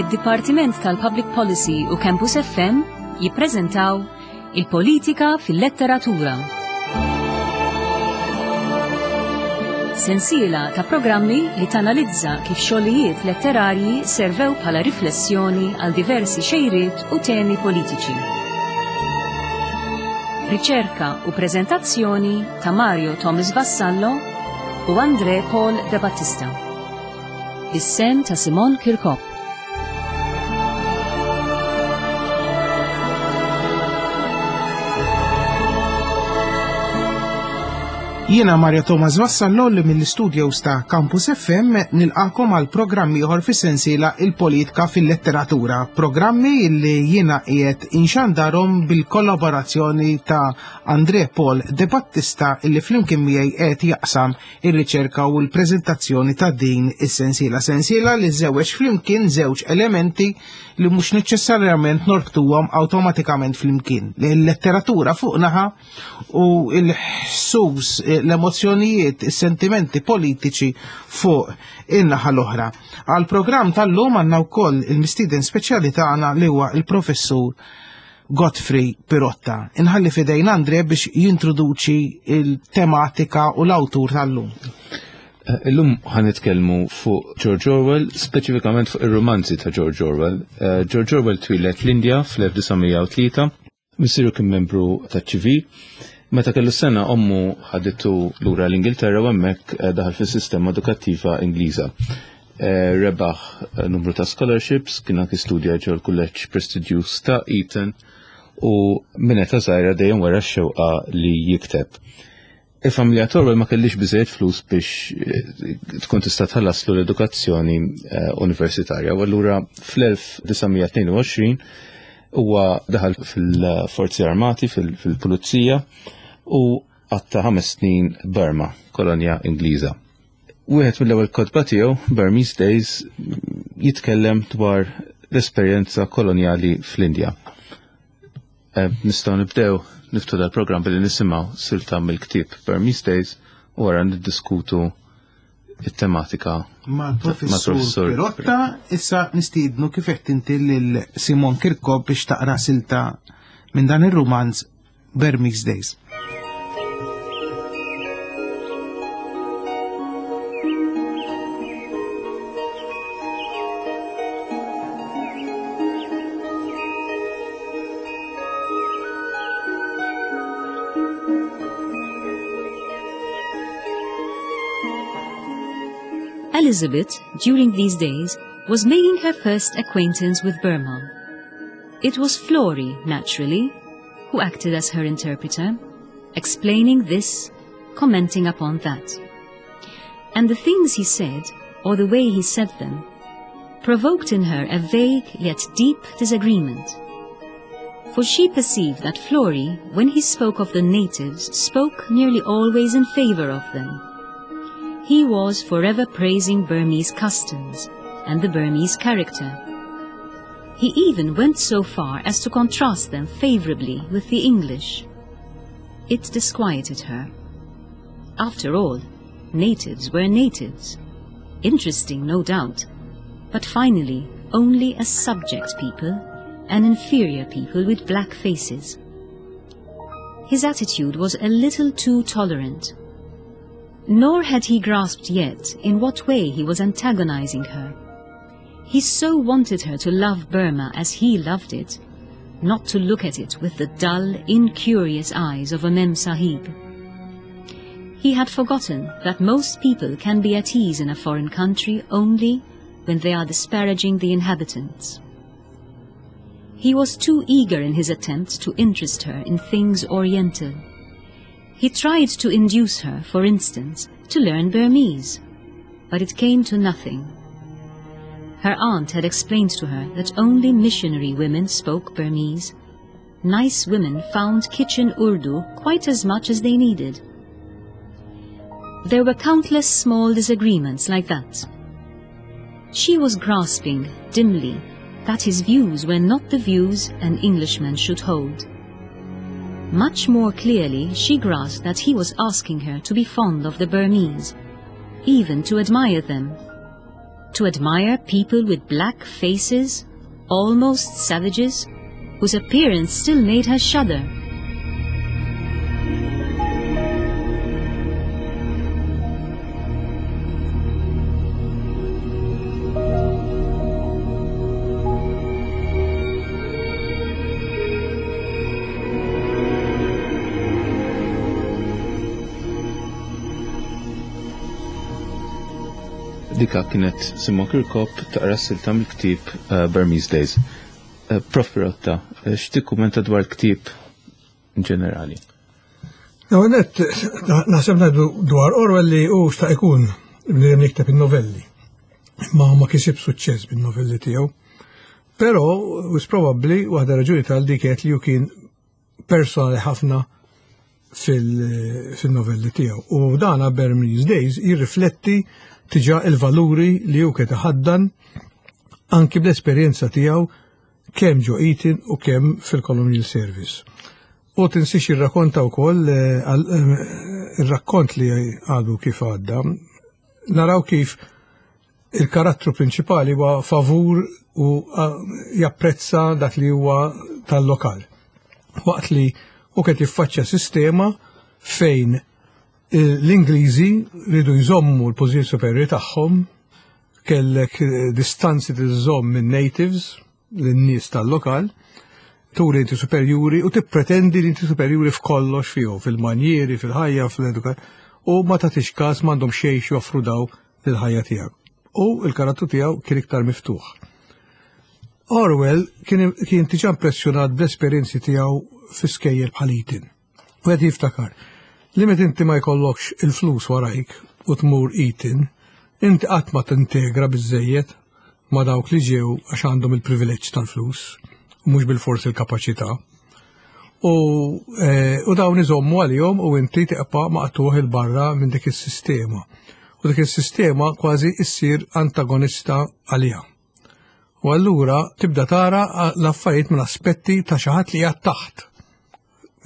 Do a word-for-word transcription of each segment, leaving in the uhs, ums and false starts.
Id-Dipartiment tal-Public Policy u Campus F M jippreżentaw Il-Politika fil-Letteratura. Sensiela ta' programmi li tanalizza kif xogħlijiet letterarji servew bħala riflessjoni għal diversi xejriet u temi politiċi. Riċerka u preżentazzjoni ta' Mario Thomas Vassallo u Andre Paul De Battista. Is-sehem ta' Simon Kirkop. Jiena Mario Thomas Vassallo li mill-studios ta' Campus F M nilqagħkom għal programm ieħor fis-sensiela Il-Politika fil-Letteratura, programmi li jiena qiegħed inxandarhom bil-kollaborazzjoni ta' Andre Paul De Battista, illi flimkien miegħi qed jaqsam ir-riċerka u l-preżentazzjoni ta' din is-sensiela. Sensiela li żewġ flimkien żewġ elementi li mhux neċessarjament norbtuhom awtomatikament flimkien. Il-letteratura fuq naħa u l-ħsus, l-emozjonijiet, is-sentimenti politiċi fuq in-naħa l-oħra. Għal programm tal-lum għandna wkoll il-mistieden speċjali tagħna li huwa il-professur Godfrey Pirotta. Inħalli f'idejn Andre biex jintroduċi il-tematika u l-awtur tal-lum. Eh, Illum ħa nitkellmu fuq George Orwell, speċifikament fuq ir-romanzi ta' George Orwell. Eh, George Orwell twieled l-Indja fl-elf disa' mija u tlieta, missieru kien membru ta' ċivil. Meta kellu sena, ommu ħaditu lura l-Ingilterra u hemmhekk eh, daħal fis-sistema edukattiva Ingliża. Eh, Rebaħ eh, numru ta' scholarships, kien anki studja ġol kulleġġ prestiġjuż ta' Eton u minn età żgħira dejjem wera x-xewqa li jikteb. Il-familja Orwell ma kellix biżejjed flus biex eh, tkun tista' tħallaslu l-edukazzjoni eh, universitarja. U allura fl-elf disa' mija tnejn u għoxrin huwa daħal fil-Forzi Armati, fil- fil-Pulizija u qatta' ħames snin Burma, kolonja Ingliża. Wieħed mill-ewwel kotba tiegħu, Burmese Days, jitkellem dwar l-esperjenza kolonjali fl-Indja. Eh, Nistgħu nibdew niftħu dal-programm billi nisimgħu silta mill-ktieb Burmese Days u wara niddiskutu it-tematika mal-professur mal-professur Pirotta. Issa nistiednu, kif qed inti, lil Simon Kirkop biex taqra silta minn dan ir-rumanz Burmese Days. Elizabeth, during these days, was making her first acquaintance with Burma. It was Florey, naturally, who acted as her interpreter, explaining this, commenting upon that. And the things he said, or the way he said them, provoked in her a vague yet deep disagreement. For she perceived that Florey, when he spoke of the natives, spoke nearly always in favor of them. He was forever praising Burmese customs and the Burmese character. He even went so far as to contrast them favorably with the English. It disquieted her. After all, natives were natives. Interesting, no doubt, but finally only a subject people, an inferior people with black faces. His attitude was a little too tolerant. Nor had he grasped yet in what way he was antagonizing her. He so wanted her to love Burma as he loved it, not to look at it with the dull, incurious eyes of a Mem Sahib. He had forgotten that most people can be at ease in a foreign country only when they are disparaging the inhabitants. He was too eager in his attempts to interest her in things Oriental. He tried to induce her, for instance, to learn Burmese, but it came to nothing. Her aunt had explained to her that only missionary women spoke Burmese. Nice women found kitchen Urdu quite as much as they needed. There were countless small disagreements like that. She was grasping, dimly, that his views were not the views an Englishman should hold. Much more clearly, she grasped that he was asking her to be fond of the Burmese, even to admire them. To admire people with black faces, almost savages, whose appearance still made her shudder. Dika kienet Simon Kirkop taqra silta mill-ktieb uh, Burmese Days. Uh, Prof Pirotta, uh, x'tikkumenta dwar il-ktieb in ġenerali? No, net, naħseb ngħidu dwar Orwell li hu xtaq ikun bniedem jikteb in-novelli. Ma ma kisib suċċess bin-novelli tiegħu. Però wis probabbli waħda raġuni tal dik kienet li hu kien personali ħafna fil-novelli tiegħu. U dana Burmese Days jirrifletti tiġa il-valuri li hu kien iħaddan anki bl-esperjenza tiegħu kemm ġo Eton u kemm fil-Colonial Service. U tinsiex jirrakkonta wkoll ir-rakkont li għadu kif għadda, naraw kif il-karattru prinċipali huwa favur u japprezza dak li huwa tal-lokal. Waqt li hu kien jiffaċċja sistema fejn l-Ingliżi ridu jżommu l-pożizzjoni superjuri tagħhom, kellek distanzi tiżomm minn natives, lin-nies tal-lokal, turi inti superjuri u tippretendi li inti superjuri f'kollox fihom, fil-manjieri, fil-ħajja, fil-edukazzjoni, u ma tagħtix każ m'għandhom xejn joffru daw lill-ħajja tiegħek. U l-karattru tiegħu kien iktar miftuħ. Orwell kien kien diġà impressjonat bl-esperjenzi tiegħu fi skejjel bħal Eton. U qed jiftakar li meta inti ma jkollokx il-flus warajk u tmur Eton, inti qatt ma tintegra biżżejjed ma dawk li ġew għax għandhom il-privileġġ tal-flus u mhux bilfors il-kapaċità. U, eh, u dawn iżommu għalihom u inti tibqa' maqtuħ il-barra minn dik is-sistema. U dik is-sistema kważi issir antagonista għaliha. U allura tibda tara l-affarijiet minn aspetti ta' xi ħadd li qiegħed taħt.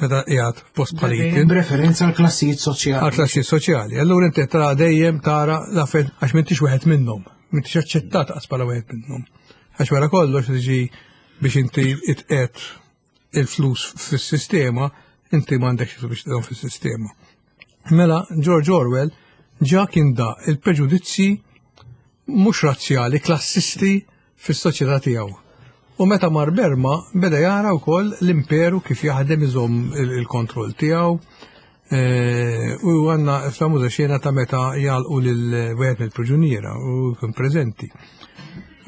Meta qiegħed f'post bħal Eton. B'referenza għal klassijiet soċjali. Għal klassijiet soċjali. Allura inti tara dejjem tara l-affarijiet għax m'intix wieħed minnhom, m'intix aċċettat qas bħala wieħed minnhom. Għax wara kollox tiġi biex inti itqed il-flus fis-sistema, inti m'għandekx flus biex tqedhom fis-sistema. Mela George Orwell ġa kien da il-preġudizzi mhux razzjali, klassisti fis-soċjetà tiegħu. U meta mar Berma beda jara wkoll l-imperu kif jaħdem iżomm il-kontroll tiegħu. U għandna famuża xena ta' meta jgħalqu lil wieħed mill-priġuniera u jkun preżenti.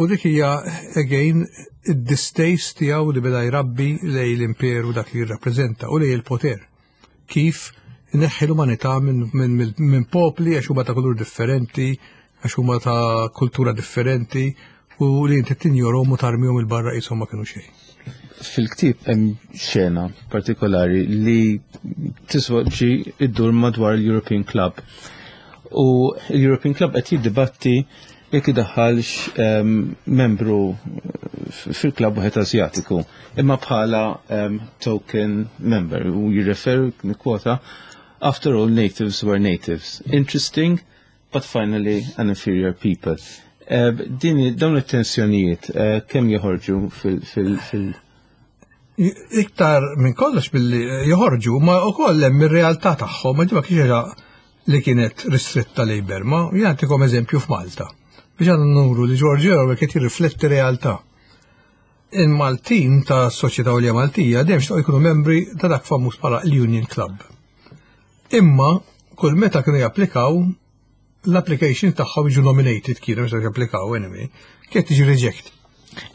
U dik hija again id-distaste tiegħu li beda jrabbi lej l-imperu dak li jirrappreżenta u lej il-poter. Kif ineħħi l-umanità minn min, min, min popli għax huma ta' kulur differenti, għax huma ta' kultura differenti, u li inti tinjorhom u tarmihom il-barra qishom ma kienu xejn. Fil-ktieb hemm xena partikolari li tiswaġġi iddur madwar l-European Club. U l-European Club qed jiddibatti jekk idaħħalx um, membru fil-klabb wieħed Asjatiku, imma bħala um, token member, u jirreferu kwota, after all natives were natives. Interesting, but finally an inferior people. Uh, din dawn it-tensjonijiet uh, kemm joħorġu fil- fil- fil- Iktar minn kollox billi joħorġu, ma wkoll hemm ir-realtà tagħhom, ma ma kienx li kienet ristretta lejn Berma. Jien nagħtikom eżempju f'Malta. Biex għandna nuru li George Orwell kien jirrifletti realtà. Il-Maltin ta' Soċjetà Għolja Maltija dejjem xtaqu jkunu membri ta' dak famuż bħala l-Union Club. Imma kull meta kienu japplikaw, l-application tagħhom jiġu nominated kienu meta japplikaw anyway, kienet tiġi reject.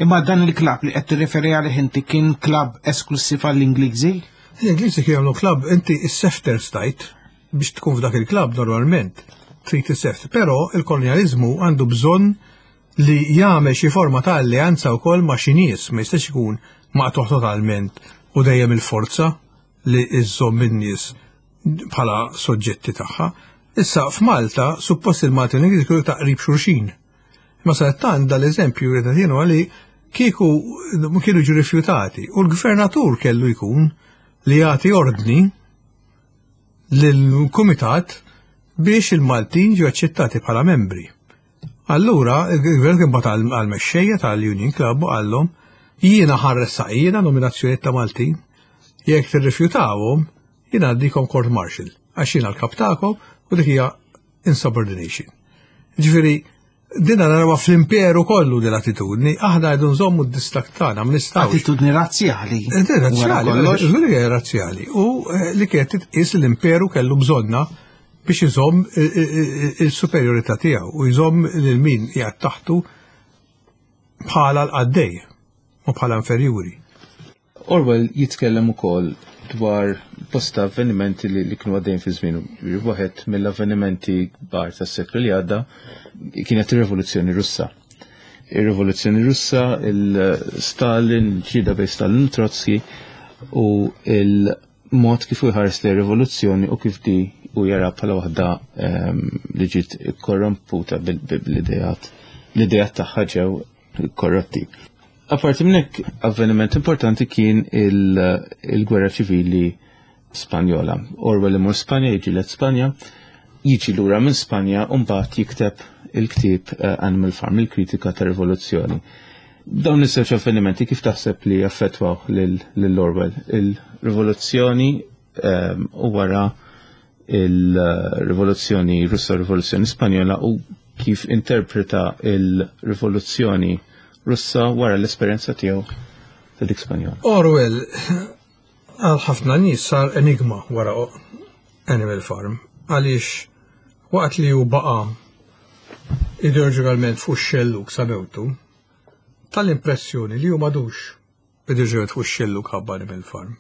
Imma dan il-klabb li qed tirreferi għalih inti kien klabb esklusiv għall-Ingliżi? L-Ingliżi kienu jagħmlu klabb, inti s-sefter stajt biex tkun f'dak il-klabb normalment trid is-seft, però il-kolonjaliżmu għandu bżonn li jagħmel xi forma ta' alleanza wkoll ma' xi nies, ma jistax ikun maqtuħ totalment u dejjem il-forza li iżżomm in-nies bħala soġġetti tagħha. Issa f'Malta suppost il-Malti u l-Ingliżi kienu ta' qrib xulxin. Ma sadattant dal-eżempju li qed jien li kieku kienu ġu rifjutati u l-gvernatur kellu jkun li jagħti ordni lill-kumitat biex il-Maltin ġew aċċettati bħala membri. Allura, il-gvern kien bagħat għall-mexxejja tal-Union Club u qallhom jiena ħa nressaq jiena nominazzjoni ta' Maltin, jekk tirrifjutawhom jiena ngħaddikom court martial, għax jiena l-kap tagħkom u dik hija insubordination. Ġifieri, dina narawha fl-imperu kollu din l-attitudni, aħna għidu nżommu d-distakk tagħna, ma nistgħux. Attitudni razzjali. Razzjali, żgur razzjali. U eh, li kienet titqis l-imperu kellu bżonna biex iżomm il-superjorità tiegħu u jżomm lil min qiegħed taħtu bħala l-qaddej u bħala inferjuri. Orwell jitkellem ukoll dwar bosta avvenimenti li, li kienu għaddejn fi żmien. Waħed mill-avvenimenti kbar tas-seklu li għadda kienet ir-Rivoluzzjoni Russa. Ir-Rivoluzzjoni Russa, il-Stalin, il-ġlieda bejn Stalin u Trotsky u il-mod kif jħares li rivoluzzjoni u kif di u jara bħala waħda ehm, li ġiet korromputa bil-idejat l-idejat tagħha ġew korrotti. Apparti minn hekk, avveniment importanti kien il-gwerra ċivili Spanjola. Orwell imur Spanja, jiġi Spanja, jiġi lura minn Spanja u mbagħad jikteb il-ktieb eh, Animal Farm, il-kritika ta' rivoluzzjoni. Dawn iż-żewġ avvenimenti kif taħseb li affettwaw lil Orwell? Il-rivoluzzjoni ehm, u wara il-rivoluzzjoni Russa, rivoluzzjoni Spanjola u kif interpreta il-rivoluzzjoni Russa wara l-esperjenza tiegħu ta' dik Spanjola. Orwell għal ħafna nies sar enigma wara Animal Farm għaliex waqt li hu baqa' ideoloġikalment fuq xellug sa mewtu, tal-impressjoni li hu m'għadux ideoloġikalment fuq xellug ħabba Animal Farm.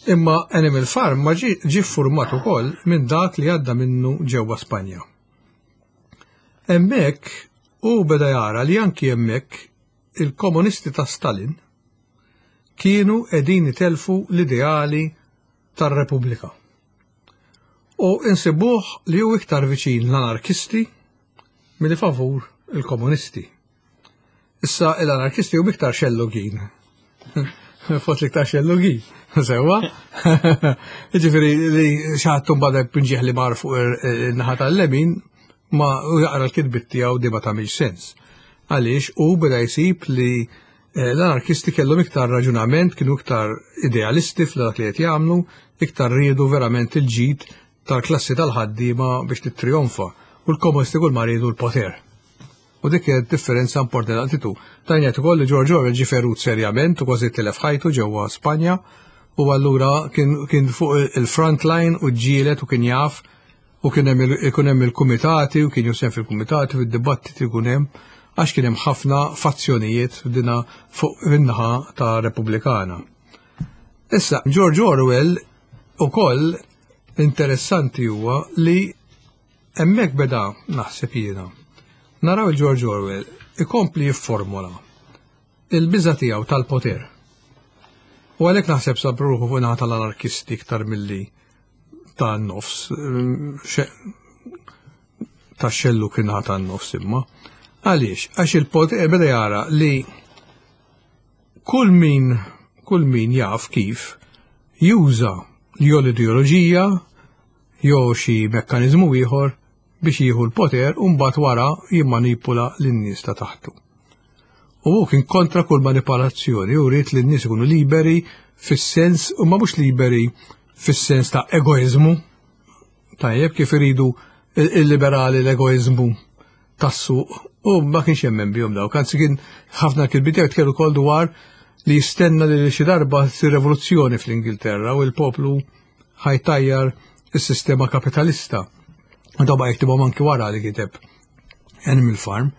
Imma Animal Farm ma ġi format ukoll minn dak li għadda minnu ġewwa Spanja. Hemmhekk u beda jara li anki hemmhekk il-komunisti ta' Stalin kienu qegħdin itelfu l-ideali tar-Repubblika. U insibuh li hu iktar viċin l-anarkisti milli favur il-komunisti. Issa l-anarkisti hu iktar xellugin. Fost l-iktar xellugin. Sewwa? Ġifieri li xi ħadd mbagħad pinġieħ li mar fuq in-naħa tal-lemin ma jaqra l-kitbit tiegħu di ma tagħmilx sens. Għaliex u beda jsib li eh, l-anarkisti kellhom iktar raġunament, kienu iktar idealisti f'dak li qed jagħmlu, iktar riedu verament il-ġid tal-klassi tal-ħaddiema biex tittrionfa. U l-komunisti kull ma riedu l-poter. U dik kienet differenza importanti tu. Tajnet ukoll li George Orwell ġie ferut serjament u kważi tilef ħajtu ġewwa Spanja u allura kien, kien fuq il-front line u ġielet u kien jaf u kien hemm ikun hemm il-kumitati u kien jusem fil-kumitati fid-dibattiti ikun hemm għax kien hemm ħafna fazzjonijiet dina fuq in-naħa ta' Repubblikana. Issa, George Orwell ukoll interessanti huwa li hemmhekk beda naħseb jiena. Naraw il-George Orwell ikompli jifformula il-biża tiegħu tal-poter. U għalhekk naħseb sab ruħu fuq naħa tal-anarkisti iktar milli ta' nofs, ta' xellu kien ta' nofs imma. Għaliex, għax il-poter beda jara li kull min, kull min jaf kif juża jew l-ideoloġija jew xi mekkaniżmu ieħor biex jieħu l-poter u mbagħad wara jimmanipula lin-nies ta' taħtu. U hu kien kontra kull manipolazzjoni u ried li n-nies ikunu liberi fis-sens u ma mhux liberi fis-sens ta' egoizmu. Tajjeb kif iridu il-liberali l-egoizmu tas-suq u ma kienx jemmen bihom dawk. Anzi kien ħafna kitbiet jitkellmu ukoll dwar li jistenna li xi darba ssir rivoluzzjoni fl-Ingilterra u l-poplu ħa jtajjar is-sistema kapitalista. U daw ba jiktibhom anki wara li kiteb Animal Farm.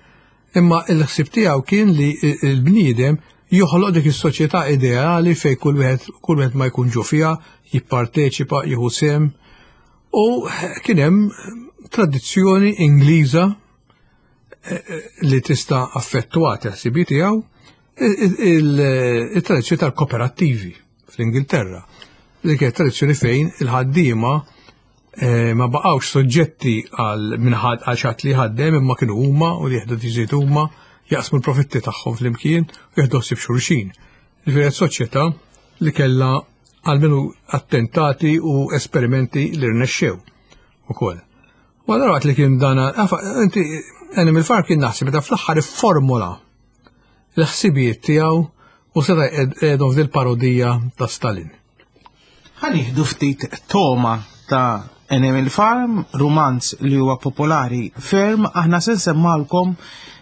Imma il-ħsieb tiegħu kien li l-bniedem joħloq dik is-soċjetà ideali fejn kull wieħed kull wieħed ma jkun ġo fiha, jipparteċipa, jieħu sehem. U kien hemm tradizzjoni Ingliża li tista' affettwat il-ħsibijiet tiegħu il-tradizzjoni tal-kooperattivi fl-Ingilterra. Li kienet tradizzjoni fejn il-ħaddiema ma baqgħux soġġetti għal minħad għal xi ħadd li ħaddem imma kienu huma u li jieħdu deċiżjonijiet huma jaqsmu l-profitti tagħhom flimkien u jieħdu ħsieb xulxin. Ġifieri soċjetà li kellha għalmenu attentati u esperimenti li rnexxew ukoll. U allura waqt li kien dana, inti Animal Farm kien naħseb meta fl-aħħar ifformula l-ħsibijiet tiegħu u seta' qiegħdhom f'dil parodija ta' Stalin. Ħa nieħdu ftit toma ta' Animal Farm, rumanz li huwa popolari ferm, aħna se nsemmalkom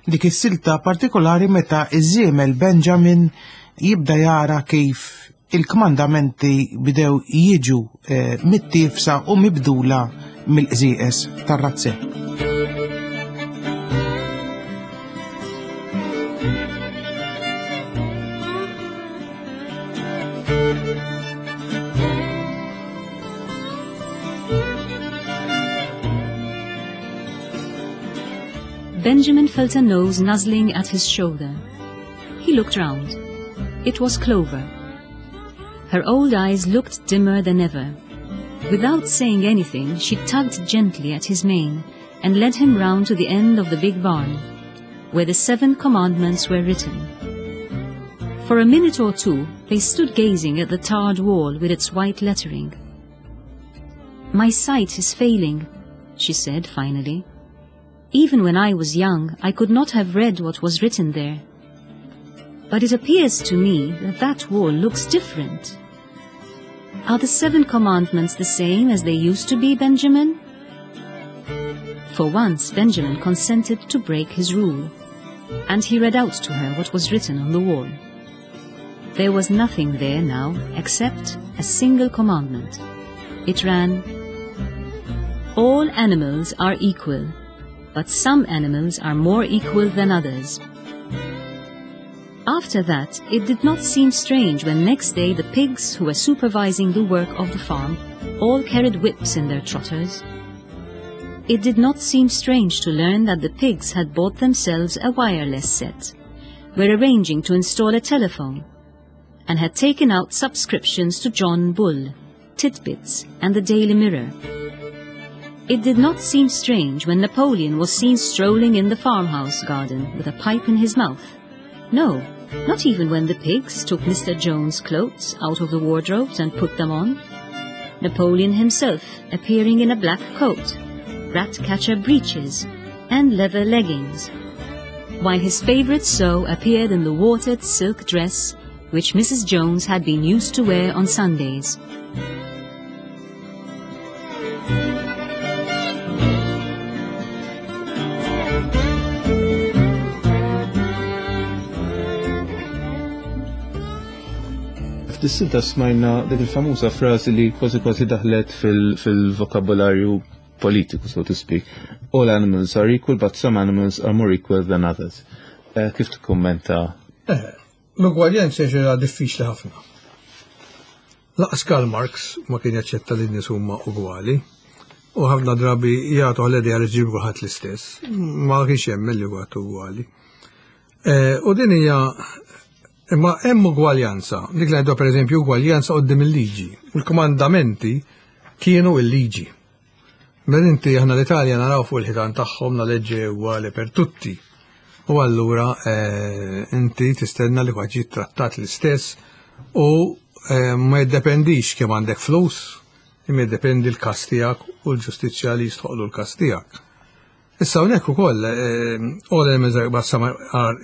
dik is-silta partikolari meta iż-żiemel Benjamin jibda jara kif il-kmandamenti bidew jiġu eh, mittifsa u mibdula mill-qżieqes tar-razzett. Benjamin felt a nose nuzzling at his shoulder. He looked round. It was Clover. Her old eyes looked dimmer than ever. Without saying anything, she tugged gently at his mane and led him round to the end of the big barn, where the seven commandments were written. For a minute or two, they stood gazing at the tarred wall with its white lettering. "My sight is failing," she said finally. "Even when I was young, I could not have read what was written there. But it appears to me that that wall looks different. Are the seven commandments the same as they used to be, Benjamin?" For once, Benjamin consented to break his rule, and he read out to her what was written on the wall. There was nothing there now except a single commandment. It ran, "All animals are equal, but some animals are more equal than others." After that, it did not seem strange when next day the pigs who were supervising the work of the farm all carried whips in their trotters. It did not seem strange to learn that the pigs had bought themselves a wireless set, were arranging to install a telephone, and had taken out subscriptions to John Bull, Titbits, and the Daily Mirror. It did not seem strange when Napoleon was seen strolling in the farmhouse garden with a pipe in his mouth. No, not even when the pigs took Mister Jones' clothes out of the wardrobes and put them on. Napoleon himself appearing in a black coat, rat-catcher breeches, and leather leggings, while his favourite sow appeared in the watered silk dress which Missus Jones had been used to wear on Sundays. F'dis-silta smajna dik il-famuża frażi li kważi kważi daħlet fil-vokabularju politiku, so to speak. All animals are equal, but some animals are more equal than others. Eh, kif tikkummenta? Eh, l-ugwaljanza ġera diffiċli ħafna. Laqas Karl Marx ma kien jaċċetta li n-nies huma ugwali, u ħafna drabi jagħtu għal idea li ġibu ħadd l-istess. Ma kienx hemm li huwa ugwali. Eh, u din hija imma hemm ugwaljanza, dik li ngħidu pereżempju ugwaljanza quddiem il-liġi. U l-komandamenti kienu il-liġi. Mela inti aħna l-Italja naraw fuq il-ħitan tagħhom la legge uguale per tutti. U allura eh, inti tistenna li kwaġi trattat l-istess u eh, ma jiddependix kemm għandek flus, imma jiddependi l-każ tiegħek u l-ġustizzja li jistħoqlu l-każ tiegħek. Issa hawnhekk ukoll eh, all elements are but some are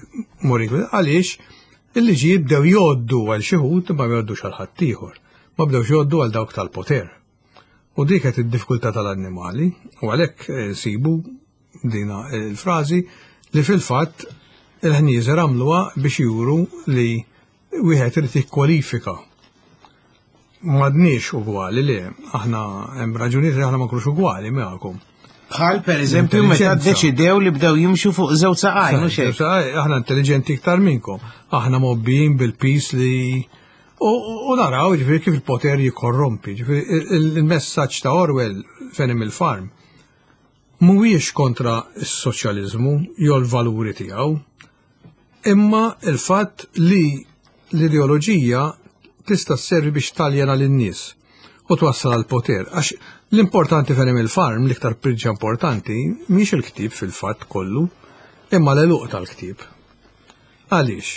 more equal għaliex il-liġi jibdew jgħoddu għal xi wħud ma jgħoddux għal ħaddieħor, ma bdewx jgħoddu għal dawk tal-poter. U dik qed id-diffikultà tal-annimali, u għalhekk eh, sibu dina il-frażi li fil-fatt il-ħnieżer għamluha biex juru li wieħed irid jikkwalifika. M'għadniex ugwali li aħna hemm raġunijiet li aħna ma nkunux ugwali magħkom. Bħal per eżempju meta ddeċidew li bdew jimxu fuq żewġ saqajn u xejn. Aħna intelligenti iktar minnkom. Aħna mobbijin bil-pis li u naraw ġifieri kif il-poter jikorrompi. Ġifieri il-messaġġ ta' Orwell f'Animal Farm mhuwiex kontra s-soċjaliżmu jew l-valuri tiegħu, imma il-fatt li l-ideoloġija tista' sservi biex taljena lin-nies u twassal għal poter. Għax l-importanti f'Animal Farm, l-iktar priġġa importanti, mhix il-ktieb fil-fatt kollu, imma l-għeluq tal-ktieb. Għaliex?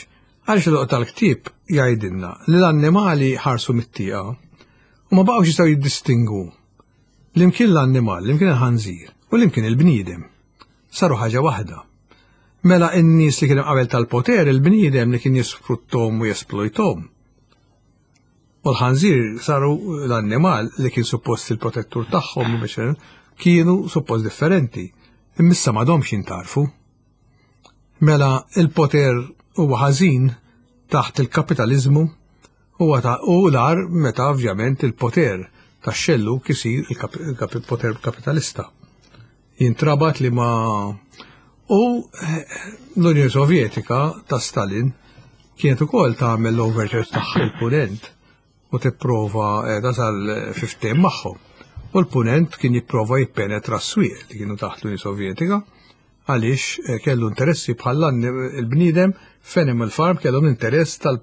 Għaliex l-għeluq tal-ktieb jgħidilna li l-annimali ħarsu mit-tieqa u ma baqgħux jistgħu jiddistingu l-imkien l-annimal, l-imkien il-ħanżir u l-imkien il-bniedem. Saru ħaġa waħda. Mela n-nies li kien qabel tal-poter, il-bniedem li kien jisfruttom u jesplojtom. U l-ħanżir saru l-annimal li kien suppost il-protettur tagħhom biex kienu suppost differenti. Immissa m'għadhomx jintarfu. Mela il-poter huwa ħażin taħt il-kapitalizmu huwa ta' u l-ar meta ovvjament il-poter tax-xellu kisir il-poter kapitalista. Jintrabat li ma u l-Unjoni Sovjetika ta' Stalin kienet ukoll tagħmel l-overtures tagħha il-punent u tipprova tasal fiftehim magħhom. U l-punent kien jipprova jippenetra s-swieq li kienu taħt l-Unjoni Sovjetika għaliex kellu interessi bħal il-bniedem f'Animal Farm kellhom interess ta'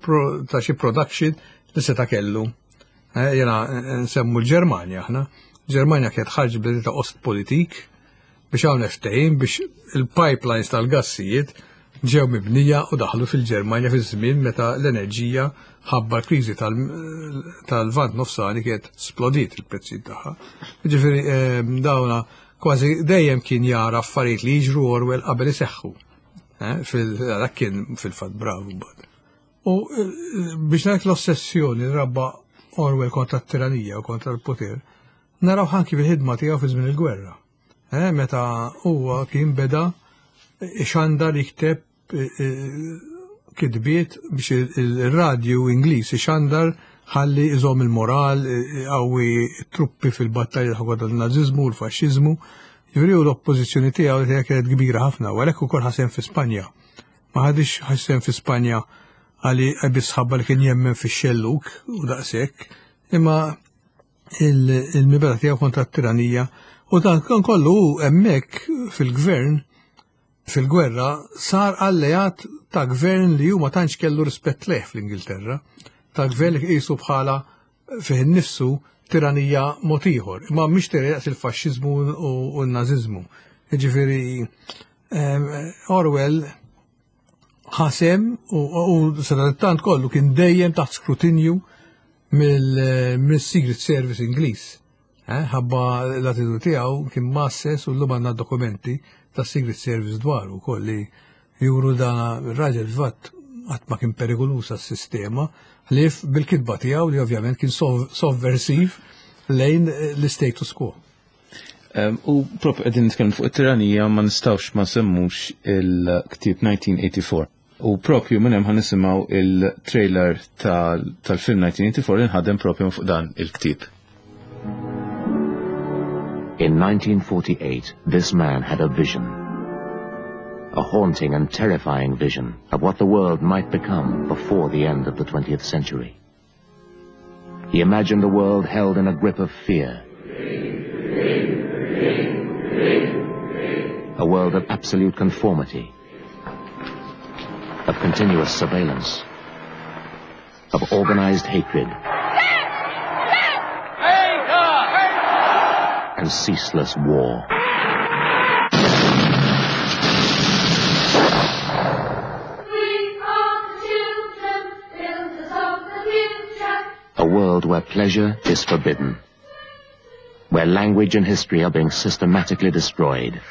xi production li seta' kellu. Jena nsemmu l-Ġermanja aħna. Ġermanja kienet ħarġ bl ta' Ostpolitik biex hawn ftehim biex il-pipelines tal-gassijiet ġew mibnija u daħlu fil-Ġermanja fi żmien meta l-enerġija ħabba l-kriżi tal-Lvant Nofsani kienet splodiet il-prezzijiet tagħha. Ġifieri dawna kważi dejjem kien jara affarijiet li jiġru Orwell qabel iseħħu. Dak kien fil-fatt bravu mbagħad. U biex ngħid l-ossessjoni rabba Orwell kontra t-tiranija u kontra l-poter, naraw anki fil-ħidma tiegħu fi żmien il-gwerra. Meta huwa kien beda ixandar jikteb kitbiet biex il-radju Ingliż ixandar ħalli iżom il-moral qawwi truppi fil-battalja kontra l-naziżmu u l-faxxiżmu. Jiġifieri l-oppożizzjoni tiegħu li kienet kbira ħafna, u għalhekk ukoll ħasem fi Spanja. Ma ħadix ħasem fi Spanja għali biss ħabba li kien jemmen fix-xelluk u daqshekk, imma il-mibeda tiegħu kontra t-tiranija u dan kollu hemmhekk fil-gvern fil-gwerra sar alleat ta' gvern li huma tantx kellu rispett leh fl-Ingilterra, ta' gvern li qisu bħala fih innifsu tiranija mod ieħor, imma mhix tiranija il-faxxiżmu u n-naziżmu. Jiġifieri Orwell ħasem u sadattant kollu kien dejjem taħt skrutinju mill-Secret Service Ingliż. Ħabba l-attitudni tiegħu kien masses u llum għandna dokumenti ta' Secret Service dwaru wkoll li juru dan ir-raġel fatt qatt ma kien perikoluż għas-sistema li bil-kitba tiegħu li ovvjament kien sovversiv lejn l-status quo. U propju qegħdin nitkellmu fuq it-tiranija ma nistgħux ma semmux il-ktieb nineteen eighty-four. U propju minn hemm ħa nisimgħu il-trailer tal-film nineteen eighty-four li nħadem propju fuq dan il-ktieb. In nineteen forty-eight, this man had a vision. A haunting and terrifying vision of what the world might become before the end of the twentieth century. He imagined a world held in a grip of fear. A world of absolute conformity, of continuous surveillance, of organized hatred, and ceaseless war. We are the children, builders of the future. A world where pleasure is forbidden, where language and history are being systematically destroyed,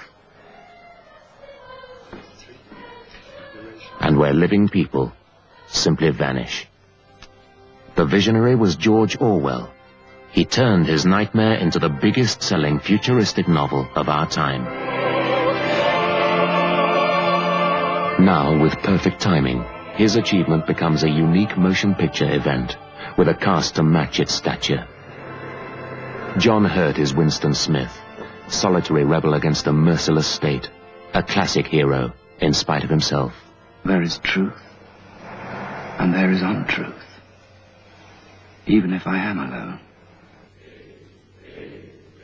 and where living people simply vanish. The visionary was George Orwell. He turned his nightmare into the biggest-selling futuristic novel of our time. Now, with perfect timing, his achievement becomes a unique motion picture event, with a cast to match its stature. John Hurt is Winston Smith, solitary rebel against a merciless state, a classic hero in spite of himself. There is truth, and there is untruth, even if I am alone.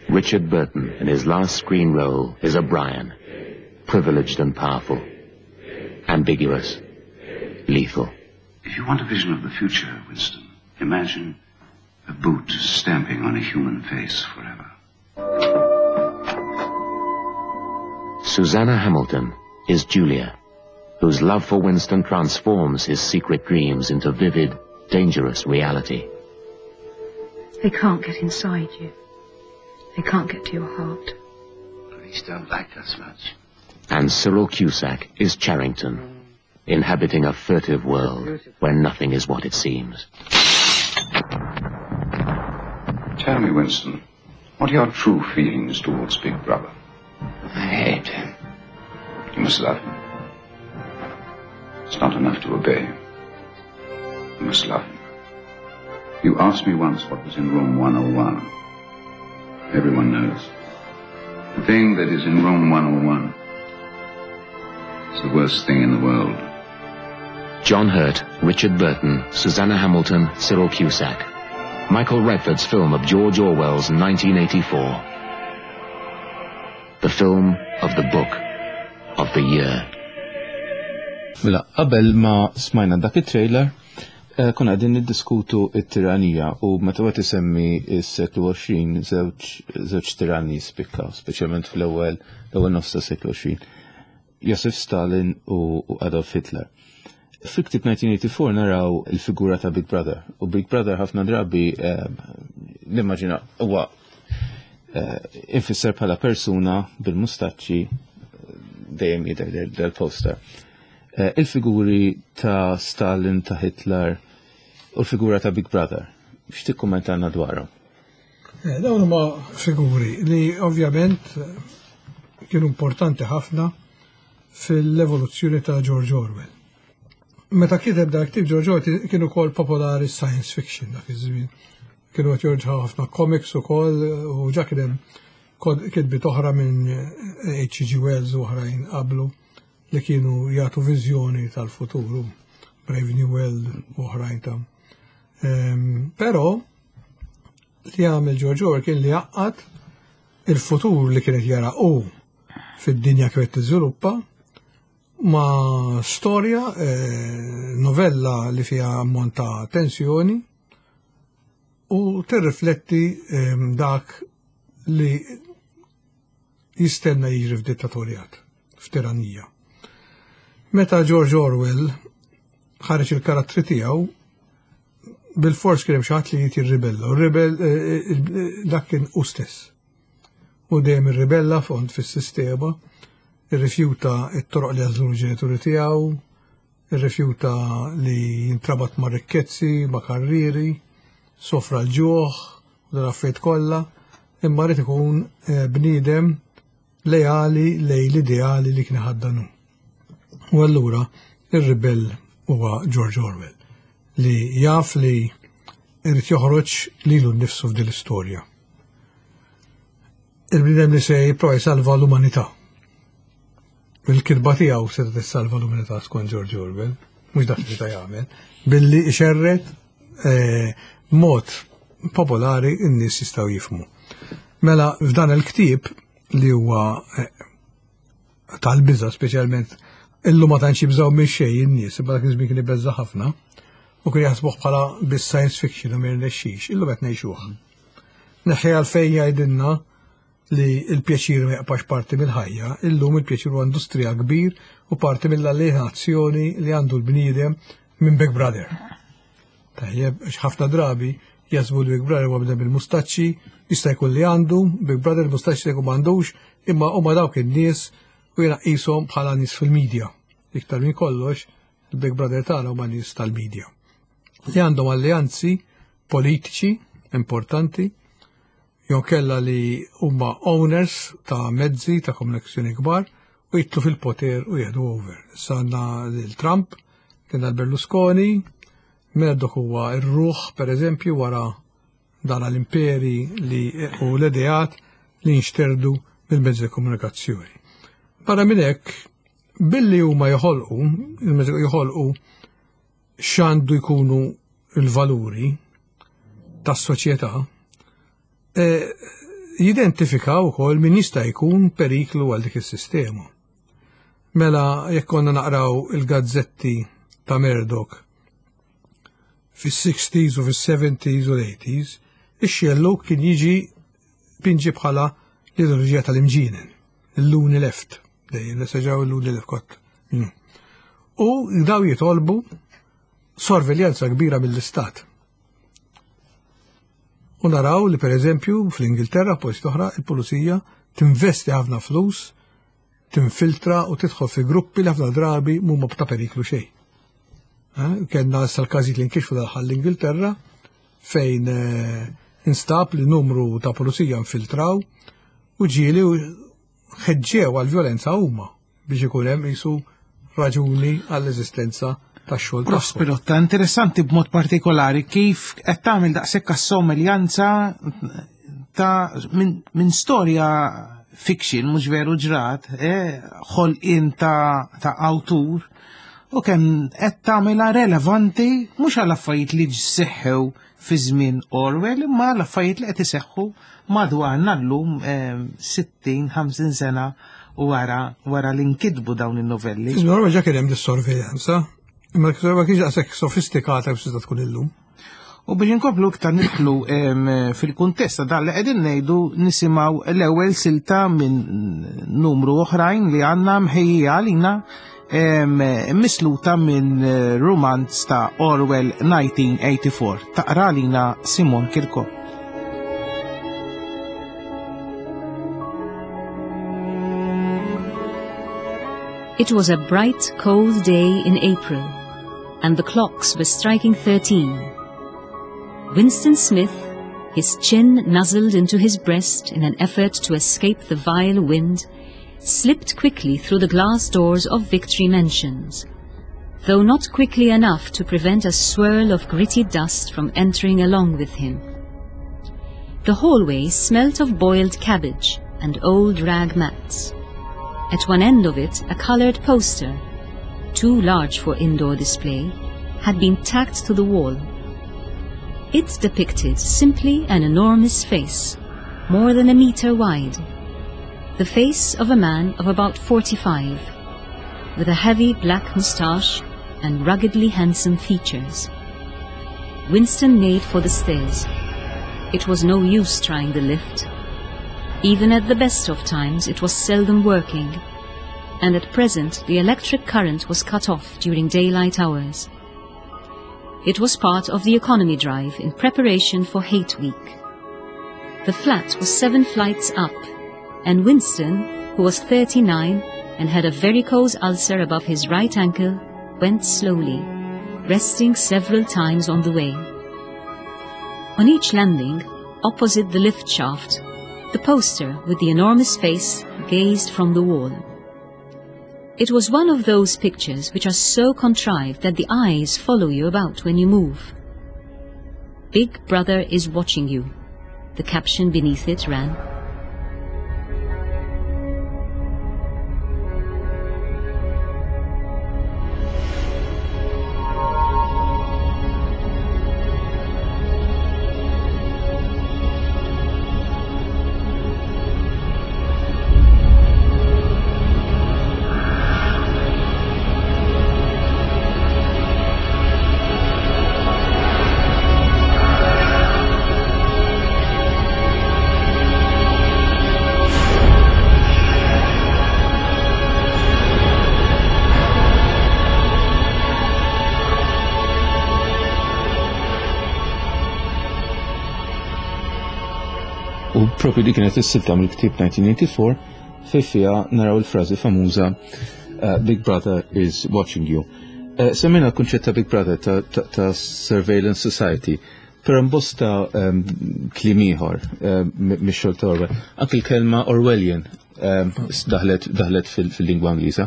Richard Burton, in his last screen role, is O'Brien, privileged and powerful, ambiguous, lethal. If you want a vision of the future, Winston, imagine a boot stamping on a human face forever. Susanna Hamilton is Julia, whose love for Winston transforms his secret dreams into vivid, dangerous reality. They can't get inside you. They can't get to your heart. Police don't like us much. And Cyril Cusack is Charrington, inhabiting a furtive world where nothing is what it seems. Tell me, Winston, what are your true feelings towards Big Brother? I hate him. You must love him. It's not enough to obey him. You must love him. You asked me once what was in room one oh one. Everyone knows. The thing that is in room one oh one is the worst thing in the world. John Hurt, Richard Burton, Suzanna Hamilton, Cyril Cusack. Michael Radford's film of George Orwell's nineteen eighty-four. The film of the book of the year. Mela, qabel ma smajna dak it-trailer, eh, konna qegħdin niddiskutu it-tiranija u meta wieħed isemmi s-seklu għoxrin, żewġ żewġ tiranni spikkaw, speċjalment fl-ewwel l-ewwel nofs ta' seklu għoxrin. Joseph Stalin u u Adolf Hitler. Fil-ktib nineteen eighty-four naraw il-figura ta' Big Brother u Big Brother ħafna drabi eh, nimmaġina huwa eh, infisser bħala persuna bil-mustaċċi, dejjem jidher del-poster. Eh, Il-figuri ta' Stalin, ta' Hitler u l-figura ta' Big Brother. X'tikkummentalna dwarhom? Eh, Dawn huma figuri li ovvjament eh, kienu importanti ħafna fil-evoluzzjoni ta' George Orwell. Meta kiteb dak ktieb George Orwell, kienu ukoll popolari science fiction dak iż-żmien. Kienu qed joħorġu ħafna comics ukoll u ġa kien hemm kod- kitbiet oħra minn H G. Wells u oħrajn qablu li kienu jagħtu viżjoni tal-futuru, Brave New World u oħrajn ta' Ehm, Però li għamel George Orwell kien li għaqqad il-futur li kienet jara u fid-dinja kif qed tiżviluppa ma' storja, eh, novella li fiha ammont ta' tensjoni u tirrifletti ehm, dak li jistenna jiġri f'dittatorjat, f'tiranija. Meta George Orwell ħareġ il-karattri tiegħu, bil-fors kien hemm xi ħadd li jrid jirribella, u rebel eh, eh, dak kien hu stess. U dejjem irribella fond fis-sistema, irrifjuta t-toroq li għażlu l-ġenituri tiegħu, irrifjuta li jintrabat ma' rikkezzi, ma' karriri, sofra l-ġuħ u dan affarijiet kollha, imma rrid ikun eh, bniedem lejali lej l-ideali li kien ħaddanu. U allura ir-ribell huwa George Orwell li jaf li irid joħroġ lilu nnifsu f'din l-istorja. Il-bniedem li se jipprova jsalva l-umanità. Il-kitba tiegħu se tissalva l-umanità skont George Orwell, mhux dak li ta' jagħmel, billi ixerret eh, mod popolari n-nies jistgħu jifhmu. Mela f'dan il-ktieb li huwa eh, tal-biża', speċjalment illum ma tantx jibżgħu minn xejn in-nies, imma dak iż-żmien kien ibeżża' ħafna u kien jaħsbuh bħala bis science fiction u ma jirnexxix, illum qed ngħixuh. Neħħi għalfejn jgħidilna li l-pjaċir ma jaqpax parti mill-ħajja, illum il-pjaċir huwa industrija kbir u parti mill-alienazzjoni li għandu l-bniedem minn Big Brother. Tajjeb, għax ħafna drabi jaħsbu li Big Brother huwa bniedem bil-mustaċċi, jista' jkun li għandu, Big Brother il-mustaċċi jkun m'għandux, imma huma dawk in-nies u jiena qishom bħala nies fil-medja. Iktar minn kollox, il-Big Brother tagħna huma nies tal-medja. Li għandhom alleanzi politiċi importanti, jew kella li huma owners ta' mezzi ta' komunikazzjoni kbar u jidħlu fil-poter u jieħdu over. Issa għandna l-Trump, kien l-Berlusconi, Murdoch huwa ir-ruħ, per eżempju, wara dan l-imperi li u l-ideat li nxterdu mill-mezzi ta' komunikazzjoni. Barra minn hekk, billi huma joħolqu, il-mezzi joħolqu x'għandu jkunu il-valuri tas-soċjetà, e, jidentifikaw ukoll min jista' jkun periklu għal dik is-sistema. Mela jekk konna naqraw il-gazzetti ta' Murdoch fis-sixties u fis-seventies u l-eighties, ix-xellug kien jiġi pinġi bħala l-ideoloġija tal-imġienen, il-loony left, dejjem seġaw il-loony left kott. U daw jitolbu sorveljanza kbira mill-istat. U naraw li, per eżempju, fl-Ingilterra, post oħra, il-pulizija Tinvesti ħafna flus, tinfiltra u tidħol fi gruppi li ħafna drabi mhuma ta' periklu xejn. Eh, Kellna issa l-każijiet li nkixfu dal l-Ingilterra fejn eh, instab li numru ta' pulizija infiltraw u ġieli u ħeġġew għal-vjolenza huma biex ikun hemm qisu raġuni għall-eżistenza tax-xogħol tagħhom. Prof Pirotta, interessanti b'mod partikolari kif qed tagħmel daqshekk assomiljanza ta' minn min storja fiction mhux veru ġrat, eh, ħolqien ta', ta' awtur u kemm qed tagħmilha relevanti mhux għal affarijiet li seħħew fi żmien Orwell, imma għal affarijiet li qed iseħħu madwarna llum eh, sittin ħamsin sena wara wara li nkitbu dawn in-novelli. Fi żmien Orwell ġa kien hemm dis-sorveljanza, imma ma kienx daqshekk sofistikata kif tista' tkun illum. U biex inkomplu iktar nidħlu em, fil-kuntest ta' dan li qegħdin ngħidu, nisimgħu l-ewwel silta minn numru oħrajn li għandna mħejjija għalina em, misluta minn eh, rumanz ta' Orwell nineteen eighty-four. Taqra għalina Simon Kirkop. It was a bright, cold day in April, and the clocks were striking thirteen. Winston Smith, his chin nuzzled into his breast in an effort to escape the vile wind, slipped quickly through the glass doors of Victory Mansions, though not quickly enough to prevent a swirl of gritty dust from entering along with him. The hallway smelt of boiled cabbage and old rag mats. At one end of it, a colored poster, too large for indoor display, had been tacked to the wall. It depicted simply an enormous face, more than a meter wide. The face of a man of about forty-five, with a heavy black moustache and ruggedly handsome features. Winston made for the stairs. It was no use trying the lift. Even at the best of times, it was seldom working, and at present the electric current was cut off during daylight hours. It was part of the economy drive in preparation for Hate Week. The flat was seven flights up, and Winston, who was thirty-nine and had a varicose ulcer above his right ankle, went slowly, resting several times on the way. On each landing, opposite the lift shaft, the poster with the enormous face gazed from the wall. It was one of those pictures which are so contrived that the eyes follow you about when you move. "Big Brother is watching you," the caption beneath it ran. U propju di kienet is-silta mill-ktieb nineteen eighty-four fej fiha naraw il-frażi famuża uh, "Big Brother is watching you." Uh, Semmejna l-kunċett ta' Big Brother ta', ta, ta Surveillance Society, però bosta um, kliem ieħor um, mix-xogħol ta' Orwell. Anki l-kelma Orwellian um, daħlet, daħlet fil-lingwa Ingliża.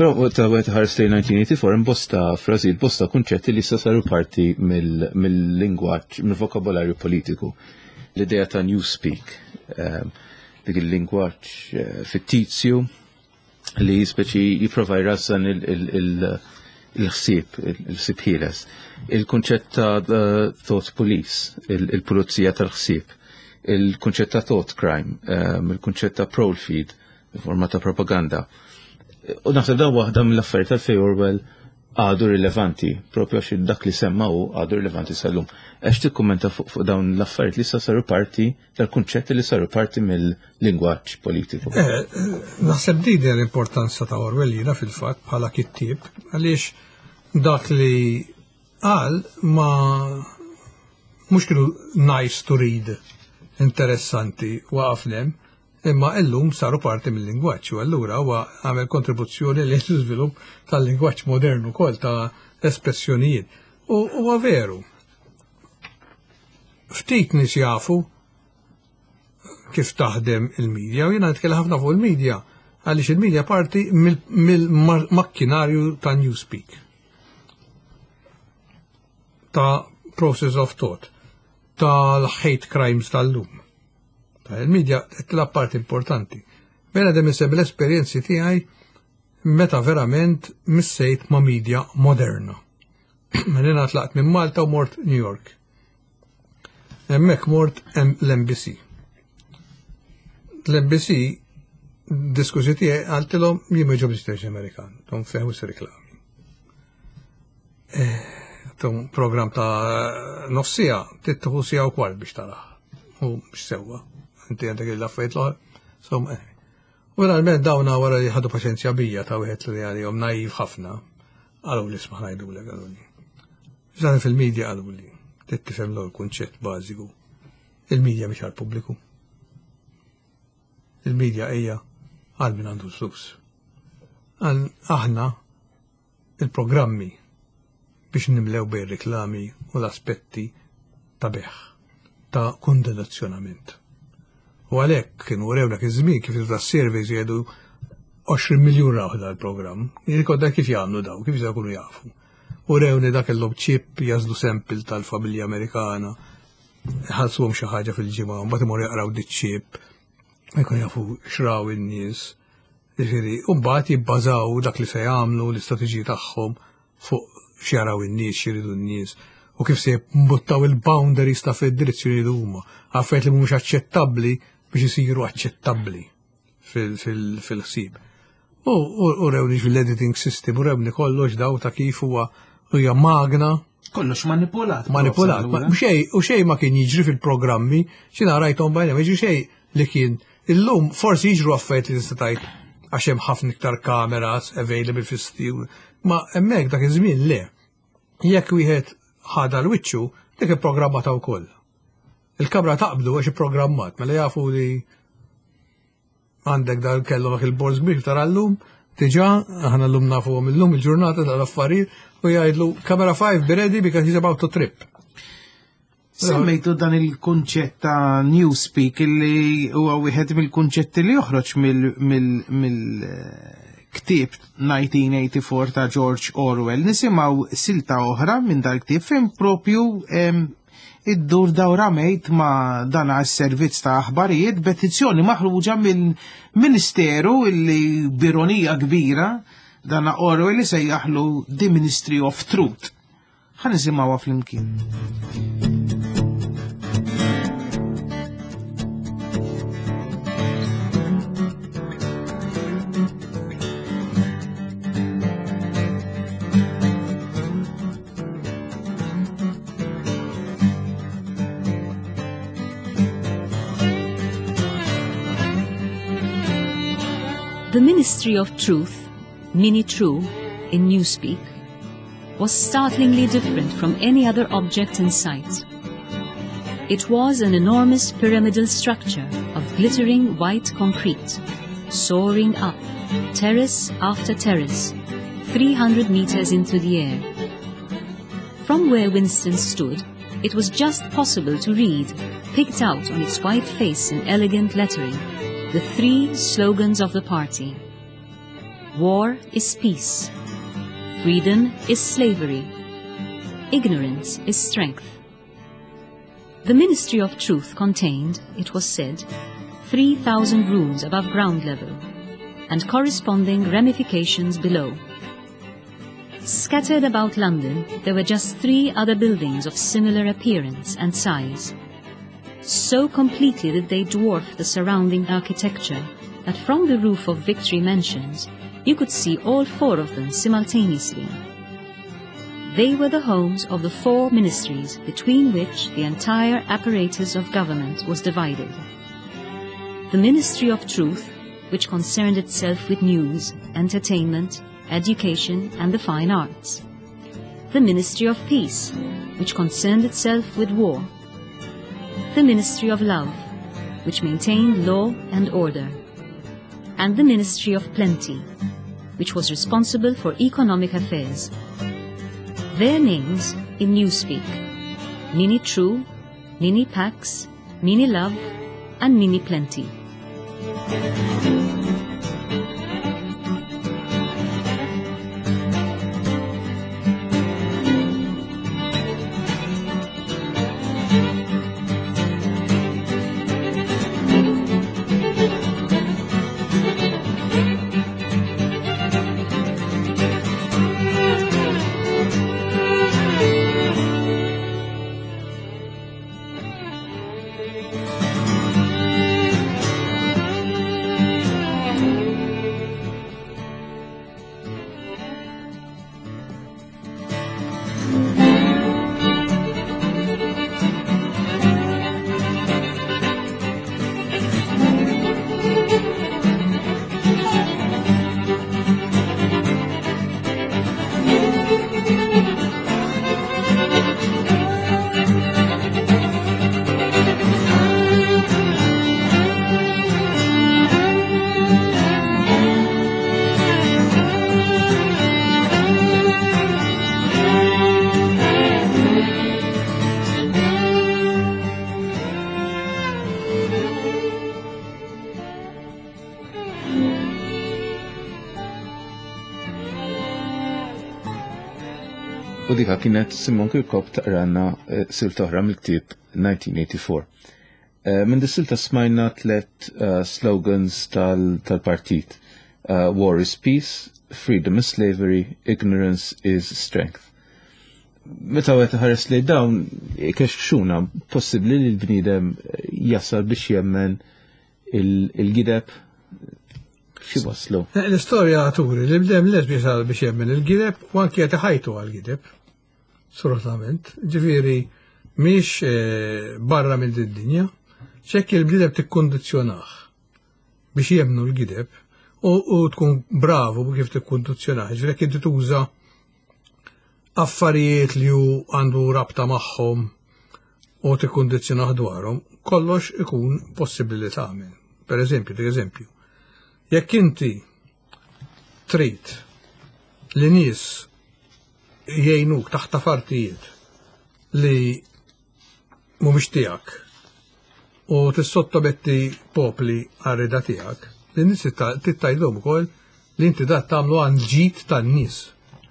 Però ta' wet ħares lejn nineteen eighty-four bosta frażijiet, bosta kunċetti li issa saru parti mill-lingwaġġ, mill-vokabolarju politiku. L-idea ta' newspeak, um, dik il-lingwaġġ uh, fittizju li speċi jipprova jrażżan il-ħsieb, il-ħsieb ħieles. Il-kunċett ta' thought police, il-pulizija tal-ħsieb, il-kunċett ta' thought crime, um, il-kunċett ta' prolefeed, forma ta' propaganda. U naħseb dan waħda mill-affarijiet tal-fej Orwell għadu rilevanti, propju għax dak li semma hu għadu rilevanti sal-lum. Għax tikkummenta fuq fuq dawn l-affarijiet li issa saru parti tal-kunċetti li saru parti mill-lingwaġġ politiku. Eh, naħseb din hija l-importanza ta' Orwell jiena fil-fatt bħala kittieb, għaliex dak li qal ma mhux kienu nice to read, interessanti waqaf hemm, Imma illum saru parti mill-lingwaġġ u allura huwa għamel kontribuzzjoni li l-iżvilupp tal-lingwaġġ modernu ukoll ta' espressjonijiet. U huwa veru. Ftit nies jafu kif taħdem il-medja, u jiena nitkellem ħafna fuq il-medja, għaliex il-medja parti mill-makkinarju ta' newspeak, ta' process of thought, tal-hate crimes tal-lum. Il-medja tilgħab parti importanti. Bena dem insemmi l-esperjenzi tiegħi meta verament missejt ma' media moderna. Mela tlaqt minn Malta u mort New York. Hemmhekk mort l-N B C. L-N B C diskusi tiegħi għaltilhom jien ma jogħġobnix television Amerikan, tom fehu reklami. Eh, tom program ta' nofsija, tittuħu sija u kwart biex taraħ. U biex sewwa. Inti għandek il-affarijiet l-oħra. So, eh. U finalment dawna wara li ħadu paċenzja bija ta' wieħed li għalihom naiv ħafna, qalu li isma' ngħidulek qaluli. Żan fil-medja qalu li trid tifhem l kunċett bażiku. Il-medja mhix għall-pubbliku. Il-medja hija għal min għandu l-flus. Aħna il-programmi biex nimlew bej reklami u l-aspetti ta' beħ, ta' kondizzjonament. U għalhekk kienu urew dak iż-żmien kif ta' surveys jgħidu għoxrin miljun raw dal-programm. Jirrikorda kif jagħmlu daw, kif jkunu jafu. U rewni dak kellhom chip jażlu sample tal-familja Amerikana, ħalsuhom xi ħaġa fil-ġimgħa, mbagħad imorru jaqraw di chip, jkun jafu xraw in-nies. Jiġifieri, u mbagħad jibbażaw dak li se jagħmlu, l-istrateġiji tagħhom fuq x'jaraw in-nies, x'iridu n-nies, u kif se jimbuttaw il-boundaries ta' fid-direzzjoni li huma. Affarijiet li mhumiex aċċettabbli biex isiru aċċettabbli fil-ħsieb. U rewni fil-editing system, u rewni kollox daw ta' kif huwa hija magna. Kollox manipulat. Manipulat. U xej ma kien jiġri fil-programmi, xina rajtom bajna, ma jiġri xej li kien. Illum forsi jiġru affarijiet li tista' tgħid għax hemm ħafna iktar kameras available fis-studio, ma hemmhekk dak iż-żmien le. Jekk wieħed ħada l-wiċċu, dik ipprogrammata wkoll. Il-kamra taqbdu għax ipprogrammat, mela jafu li għandek dal kellhom dak il-borż kbir tara llum, diġà aħna llum nafuhom illum il-ġurnata tal-affarijiet u jgħidlu camera five be ready because he's about to trip. Semmejtu dan il-kunċett ta' newspeak li huwa wieħed mill-kunċetti li joħroġ mill-ktieb nineteen eighty-four ta' George Orwell. Nisimgħu silta oħra minn dal-ktieb fejn propju iddur dawra mejt ma' dan għas-servizz ta' aħbarijiet, petizzjoni maħruġa minn ministeru illi b'ironija kbira dan Orwell li sejjaħlu The Ministry of Truth. Ħa nisimgħuha flimkien. The Ministry of Truth, Minitrue, in Newspeak, was startlingly different from any other object in sight. It was an enormous pyramidal structure of glittering white concrete, soaring up, terrace after terrace, three hundred meters into the air. From where Winston stood, it was just possible to read, picked out on its white face in elegant lettering, the three slogans of the party. War is peace. Freedom is slavery. Ignorance is strength. The Ministry of Truth contained, it was said, three thousand rooms above ground level and corresponding ramifications below. Scattered about London, there were just three other buildings of similar appearance and size. So completely did they dwarf the surrounding architecture that from the roof of Victory Mansions you could see all four of them simultaneously. They were the homes of the four ministries between which the entire apparatus of government was divided. The Ministry of Truth, which concerned itself with news, entertainment, education, and the fine arts. The Ministry of Peace, which concerned itself with war. The Ministry of Love, which maintained law and order, and the Ministry of Plenty, which was responsible for economic affairs. Their names in Newspeak: Ninny True, Ninny Pax, Ninny Love, and Ninny Plenty. U dika kienet Simon Kirkop taqranna eh, silta oħra mill-ktieb nineteen eighty-four. Eh, minn dis-silta smajna tlet eh, slogans tal-partit. War is peace, freedom is slavery, ignorance is strength. Meta għet ħares li dawn, kexxuna, possibli li l-bniedem jasal biex jemmen il-gideb xi waslu? L-istorja turi li bdem les biex biex jemmen il-gideb u anki qed ħajtu għal-gideb. Assolutament. Ġifieri mhix eh, barra minn din-dinja. Ċekk il-bniedem tikkondizzjonah biex jemnu l-gideb u tkun bravu kif tikkondizzjonah. Ġifieri jekk inti tuża affarijiet li hu għandu rabta magħhom u tikkondizzjonah dwarhom, kollox ikun possibbli li tagħmel. Per eżempju, dik eżempju, jekk inti trid li nies jgħinuk taħt affarijiet li mhumiex tiegħek u tissottometti popli għar-rida tiegħek, li nies tgħidilhom ukoll li inti dat tagħmlu għal ġid tan-nies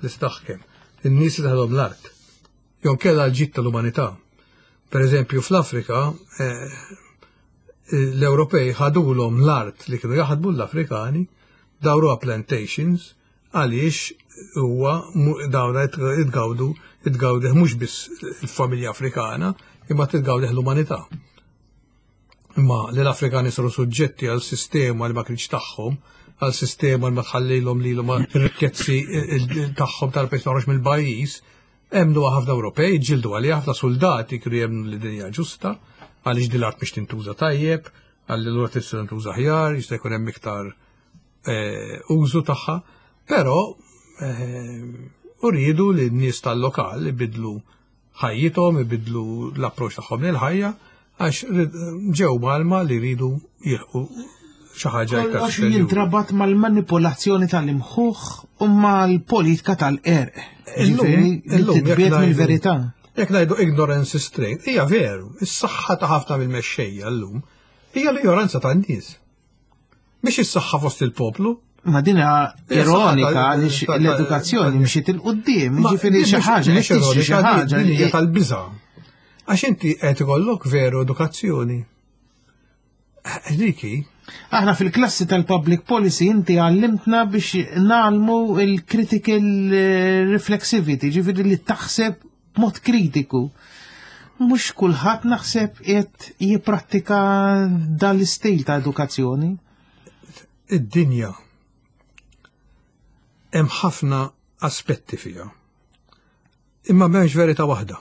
li taħkem, in-nies li taħdom l-art. Jew kella l-ġid tal-umanità. Per eżempju, fl-Afrika eh, l-Ewropej ħadulhom l-art li kienu jaħdmu l-Afrikani, dawruha plantations, għaliex huwa dawna itgawdu itgawdeh mhux biss il-familja Afrikana, imma titgawdeh l-umanità. Imma li l-Afrikani saru suġġetti għal sistema li ma kienx tagħhom, għal sistema li ma tħallilhom lilhom ir-rikkezzi tagħhom tal-pajjiż toħroġ mill-pajjiż, emmnu ħafna Ewropej, ġildu għalih ħafna soldati kienu jemmnu li dinja ġusta, għaliex din l-art biex tintuża tajjeb, għalli l-art tista' tintuża aħjar, jista' jkun hemm iktar eh, użu tagħha, però eh, uridu li n-nies tal-lokal ibidlu ħajjithom, ibidlu l-approċċ tagħhom lil-ħajja, għax ġew malma li jridu jilħqu xi ħaġa iktar. Kollox jintrabat mal-manipolazzjoni tal-imħuħ u mal-politika tal-qerq. Ġifieri li titbiet mill-verità. Jekk ngħidu ignorance is strength, hija veru, is-saħħa ta' ħafna mill-mexxejja llum hija l-ignoranza tan-nies. Mhix is-saħħa fost il-poplu. Ma dina ironika għaliex l-edukazzjoni mxiet 'il quddiem, ġifieri xi ħaġa, mhix xi ħaġa din hija tal-biża'. Għax inti qed ikollok veru edukazzjoni. Diki. Aħna fil-klassi tal-public policy inti għallimtna biex nagħmlu il-critical reflexivity, ġifieri li taħseb b'mod kritiku. Mhux kulħadd naħseb qed jipprattika dal-istil ta' edukazzjoni. Id-dinja hemm ħafna aspetti fiha. Imma m'hemmx verità waħda.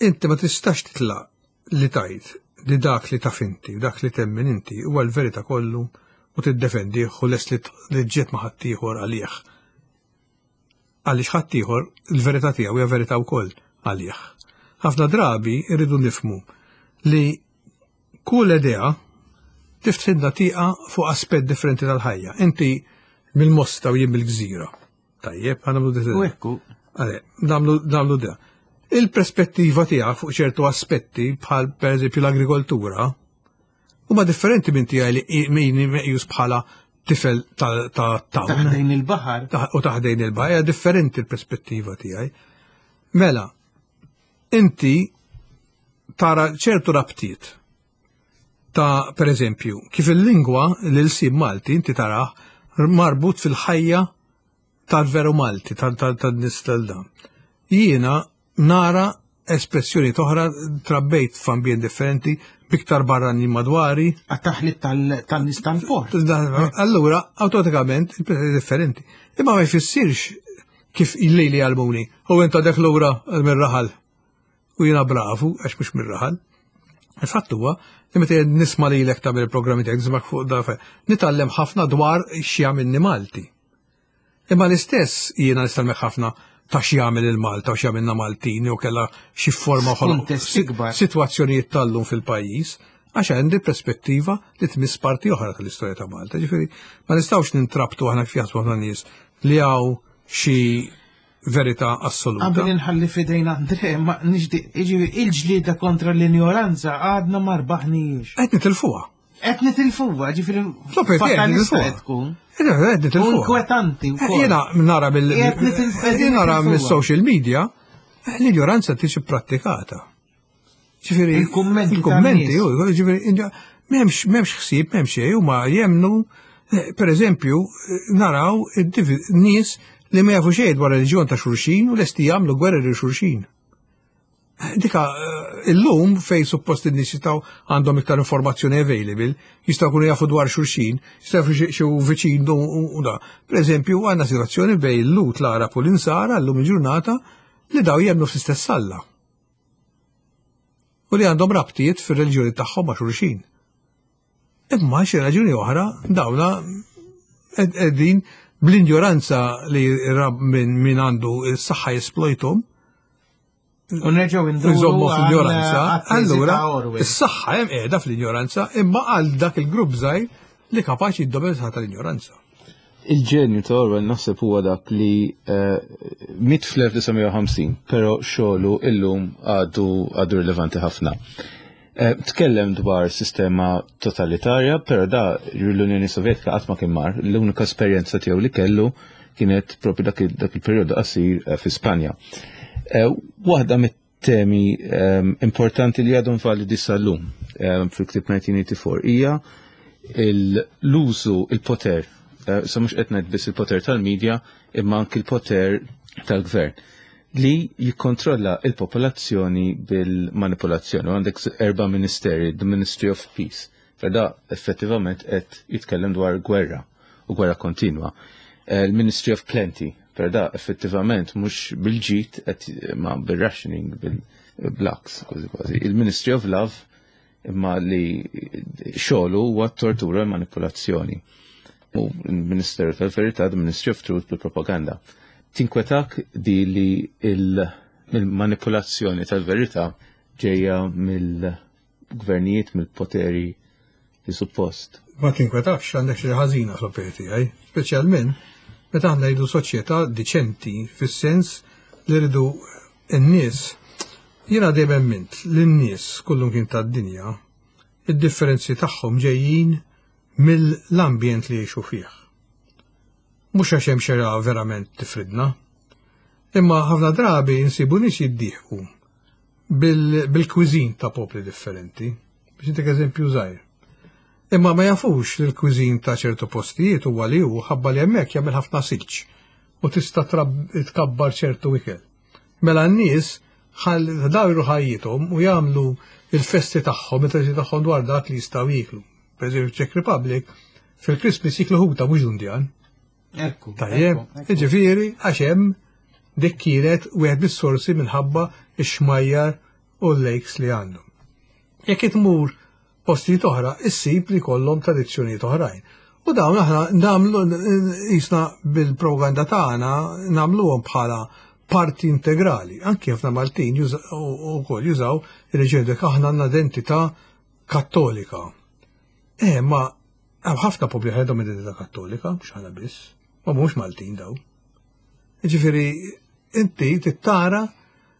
Inti ma tistax titlaq li tajt li dak li taf inti u dak li temmen inti huwa l-verità kollu u tiddefendih u lest li ġiet ma' ħaddieħor għalih. Għaliex ħaddieħor il-verità tiegħu hija verità wkoll għalih. Ħafna drabi rridu nifhmu li Kull idea tiftħilna tieqa fuq aspett differenti tal-ħajja. Inti mill-Mosta u jien mill-Gżira. Tajjeb, ħa nagħmlu U ekku. Għale, nagħmlu nagħmlu da. Il-perspettiva tiegħek fuq ċertu aspetti bħal pereżempju l-agrikoltura huma differenti minn tiegħi li min meqjus bħala tifel ta' ta' town Taħdejn il-baħar. u taħdejn il-baħar, hija differenti l-perspettiva tiegħi. Mela, inti tara ċertu rabtiet ta' per eżempju, kif il-lingwa l-ilsien Malti inti taraħ marbut fil-ħajja tal-veru Malti, tal-nies tal-dan. Jiena nara espressjoni oħra, trabbejt f'ambjent differenti, biktar barranin madwari. Għat-taħlit tal-nies tal-port. Allura, automatikament, differenti. Imma ma jfissirx kif il-lejli għallmuni, u inta dek lura mir-raħal. U jiena bravu, għax mhux mir-raħal. Il-fatt huwa li meta nisma' lilek tagħmel il-programmi tiegħek nismak fuq da nitgħallem ħafna dwar x'jagħmilni Malti. Imma l-istess jiena nistgħallem ħafna ta' x'jagħmel il-Malta u x'jagħmilna Maltin u kella xi forma sitwazzjonijiet tal-lum fil-pajjiż, għax għandi perspettiva li tmiss parti oħra tal-istorja ta' Malta. Ġifieri ma nistgħux nintrabtu aħna kif jaħsbu ħafna nies li hawn xi verità assoluta. Qabel inħalli fidejn Andre, ma nixtieq, jiġifieri il-ġlieda kontra l-injoranza għadna ma rbaħniex. Qed nitilfuha. Qed nitilfuha, ġifieri fatalista qed tkun. Qed nitilfuha. Inkwetanti wkoll. Jiena nara mill nara mill-social media l-injoranza tiġi prattikata. Ġifieri il-kummenti il-kummenti, ġifieri m'hemmx m'hemmx ħsieb, m'hemmx xejn, huma jemnu, per eżempju, naraw nies li ma jafu xejn dwar reliġjon ta' xulxin u lesti jagħmlu gwerra lil xulxin. Dika illum fej suppost in-nies jistgħu għandhom iktar informazzjoni available, jistgħu jkunu jafu dwar xulxin, jistgħu jafu xi viċin u da. Per eżempju, għandna situazzjoni bejn il-Lhud, l-Arab u l-Insara llum il-ġurnata li daw jemmnu fl-istess Alla. U li għandhom rabtiet fir-reliġjoni tagħhom ma' xulxin. Imma xi raġuni oħra dawna qegħdin bl-injoranza li rab minn min għandu s-saħħa jesplojtom. U nerġgħu nduru Nżommu fl-injoranza. għal-tesi Allura, ta' Orwell. is-saħħa hemm qiegħda fl-injoranza, imma għal dak il-grupp żgħir li kapaċi jiddomina tal-injoranza. Il-ġenju ta' Orwell naħseb huwa dak li eh, miet fl-elf disa' mija u ħamsin, però xogħlu illum għadu għadu rilevanti ħafna. Eh, Tkellem dwar sistema totalitarja, però da l-Unjoni Sovjetika qatt ma kien mar, l-unika esperjenza tiegħu li kellu kienet propju dak il- dak il-perjodu qasir eh, fi Spanja. Eh, Waħda mit-temi ehm, importanti li għadhom validi sal-lum ehm, fil-ktib elf disa' mija u erbgħa u disgħin hija l-użu, il-poter, eh, sa mhux qed ngħid biss il-poter tal-medja, imma anki il-poter tal-gvern li jikkontrolla il-popolazzjoni bil-manipolazzjoni. U għandek erba' ministeri, the Ministry of Peace. Feda effettivament qed jitkellem dwar gwerra u gwerra kontinwa. Eh, Il-Ministry of Plenty, per da effettivament mhux bil-ġid qed ma bil-rationing, bil-blacks, kważi kważi. Il-Ministry of Love, imma li xogħlu huwa tortura u manipolazzjoni. U il-Ministeru tal-Verità, the Ministry of Truth, bil-propaganda. Tinkwetak di li il-manipolazzjoni tal-verità ġejja mill-gvernijiet, mill-poteri li suppost? Ma tinkwetax, għandek xi ħażina fl-opinjoni tiegħi, speċjalment meta aħna jridu soċjetà diċenti fis-sens li rridu n-nies. Jiena dejjem emmint li n-nies kullum kien tad-dinja id-differenzi tagħhom ġejjin mill-ambjent li jgħixu fih. Mhux għax hemm xi verament tifridna. Imma ħafna drabi nsibu nies jiddieħqu bil-cuisine ta' popli differenti. Biex intik eżempju żgħir. Imma ma jafux li l-cuisine ta' ċertu postijiet huwa li hu ħabba li hemmhekk jagħmel ħafna silġ u tista' tkabbar ċertu ikel. Mela n-nies dawru ħajjithom u jagħmlu il-festi tagħhom, il-festi tagħhom dwar dak li jistgħu jieklu. Per eżempju, Czech Republic fil-Christmas jiklu ħuta mhux dundjan. Ekku. Tajjeb, ġifieri għax hemm dik kienet wieħed mis-sorsi minħabba x-xmajjar u l-lakes li għandhom. Jekk tmur postijiet oħra, issib li kollhom tradizzjonijiet oħrajn. U dawn aħna nagħmlu jisna bil-propaganda tagħna nagħmluhom bħala parti integrali. Anki ħafna Maltin ukoll jużaw il-ġedek aħna għandna identità kattolika. Eh, ma hemm ħafna popli għandhom identità kattolika, mhux aħna biss, ma mhux Maltin daw. Ġifieri inti tittara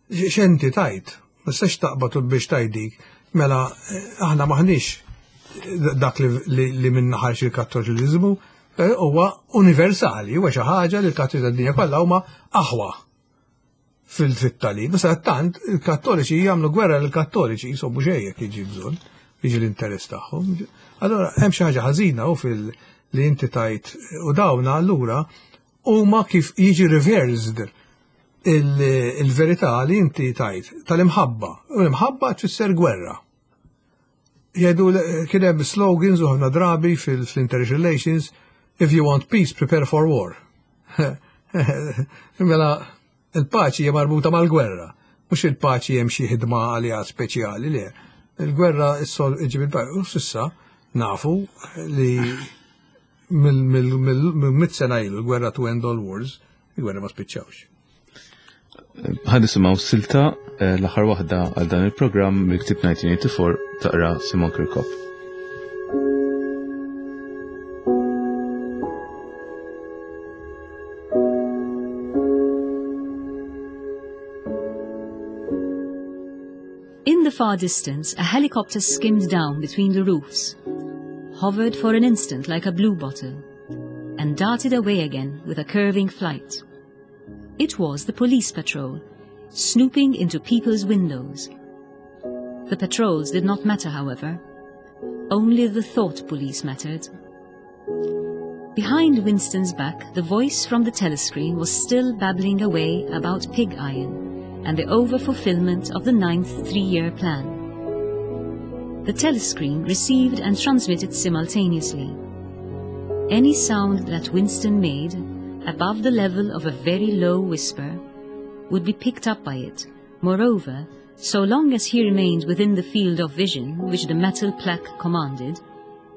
x'inti tajt, ma tistax taqbad u biex tajdik, mela aħna maħniex dak li, li minna ħarx il-kattoliċiżmu, huwa universali, huwa xi ħaġa li l-kattoliċi tad-dinja kollha huma aħwa fil-tagħlim. Issa tant il-kattoliċi jagħmlu gwerra lill-kattoliċi jisobu xejn jekk jiġi bżonn, jiġi l-interess tagħhom. Allora hemm xi ħaġa ħażina u fil li inti tajt u dawna allura huma kif jiġi reversed il-verità li inti tajt tal-imħabba. U l-imħabba tfisser gwerra. Jgħidu kien hemm slogans u ħafna drabi fil-international relations, if you want peace, prepare for war. Mela, il-paċi hija marbuta mal-gwerra. Mhux il-paċi hemm xi ħidma għaliha speċjali, le. Il-gwerra issol iġib il-paċi. U s'issa nafu li mill-mitt sena ilu l-gwerra to end all wars, il-gwerra ma spiċċawx. Ħa nisimgħu silta l-aħħar waħda għal dan il-programm mill-ktieb nineteen eighty-four taqra Simon Kirkop. In the far distance, a helicopter skimmed down between the roofs, hovered for an instant like a bluebottle, and darted away again with a curving flight. It was the police patrol, snooping into people's windows. The patrols did not matter, however. Only the thought police mattered. Behind Winston's back, the voice from the telescreen was still babbling away about pig iron and the over-fulfillment of the ninth three-year plan. The telescreen received and transmitted simultaneously. Any sound that Winston made, above the level of a very low whisper, would be picked up by it. Moreover, so long as he remained within the field of vision which the metal plaque commanded,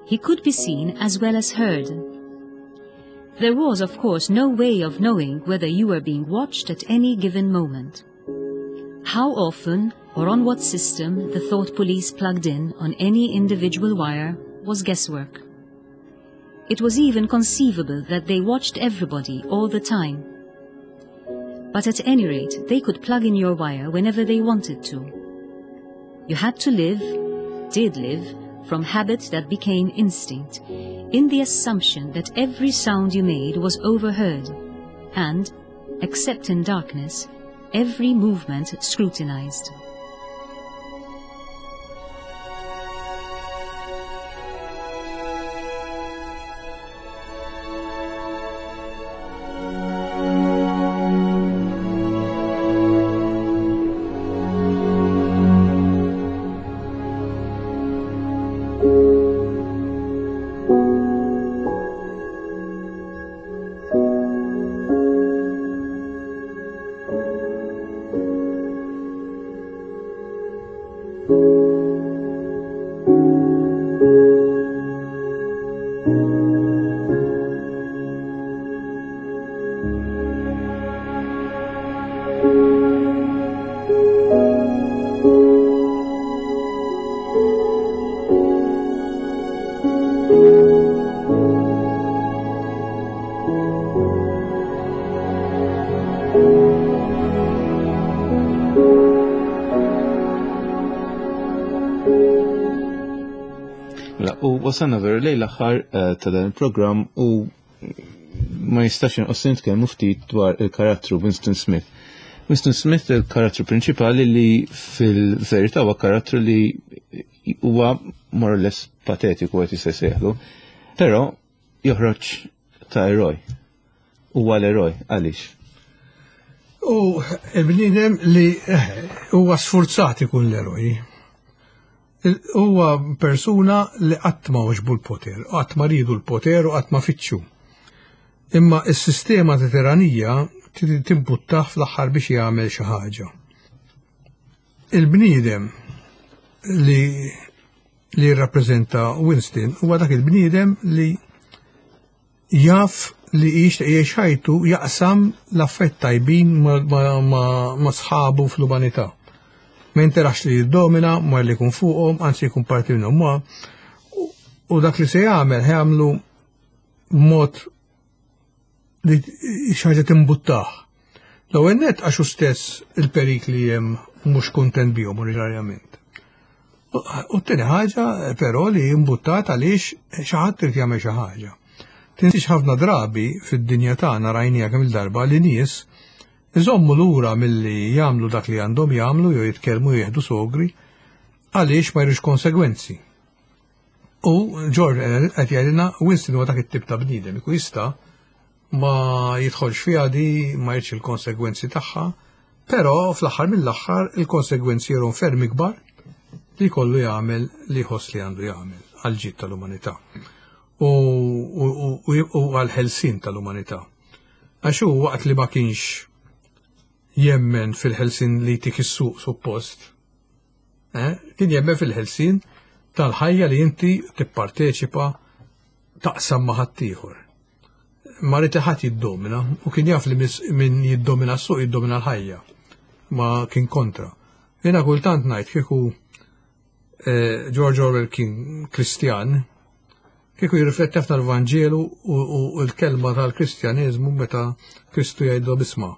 he could be seen as well as heard. There was, of course, no way of knowing whether you were being watched at any given moment. How often or on what system the thought police plugged in on any individual wire was guesswork. It was even conceivable that they watched everybody all the time. But at any rate, they could plug in your wire whenever they wanted to. You had to live, did live, from habit that became instinct, in the assumption that every sound you made was overheard, and, except in darkness, every movement scrutinized. U wasalna veru lejn l-aħħar ta' dan il-programm u ma jistax inqos nitkellmu ftit dwar il-karattru Winston Smith. Winston Smith il-karattru prinċipali li fil-verità huwa karattru li huwa more or less patetiku qed jista' jsejħlu, però joħroġ ta' eroj. Huwa l-eroj, għaliex? U il-bniedem li huwa sfurzat ikun l-eroj. Huwa persuna li qatt ma għoġbu l-poter, qatt ma ridu l-poter u qatt ma fittxu. Imma s-sistema ta' tiranija timbuttah fl-aħħar biex jagħmel xi ħaġa. Il-bniedem li li jirrappreżenta Winston huwa dak il-bniedem li jaf li jixtieq jgħix ħajtu jaqsam l-affett tajbin ma' sħabu fl-umanità. Ma jinterax li jiddomina, ma li jkun fuqhom, anzi jkun parti minnhom ma. U dak li se jagħmel jagħmlu mod li xi ħaġa timbuttah. L-ewwel nett għax hu stess il-perikli hemm mhux kuntent bihom oriġinarjament. U t-tieni ħaġa però li imbuttat għaliex xi ħadd irid jagħmel xi ħaġa. Tinsiex ħafna drabi fid-dinja tagħna rajnija kemm il-darba li nies iżommu lura milli jagħmlu dak li għandhom jagħmlu jew jitkellmu jieħdu sogri għaliex ma jridux konsegwenzi. U George qed jgħidilna Winston huwa dak it-tip ta' bniedem ikun jista' ma jidħolx fiha di, ma jridx il-konsegwenzi tagħha, però fl-aħħar mill-aħħar il-konsegwenzi jerhom ferm ikbar li kollu jagħmel li jħoss li għandu jagħmel għal ġid tal-umanità u għal-ħelsin tal-umanità. Għax hu waqt li ma kienx jemmen fil-ħelsin li jtik is-suq suppost, eh, kien jemmen fil-ħelsin tal-ħajja li inti tipparteċipa taqsam ma' ħaddieħor. Ma ried ħadd jiddomina u kien jaf li min jiddomina s-suq jiddomina l-ħajja. Ma kien kontra. Jiena kultant ngħid kieku eh, George Orwell kien Kristjan, kieku jirrifletti ħafna l-Vanġelu u l-kelma tal-Kristjaneżmu meta Kristu jgħidlu isma'.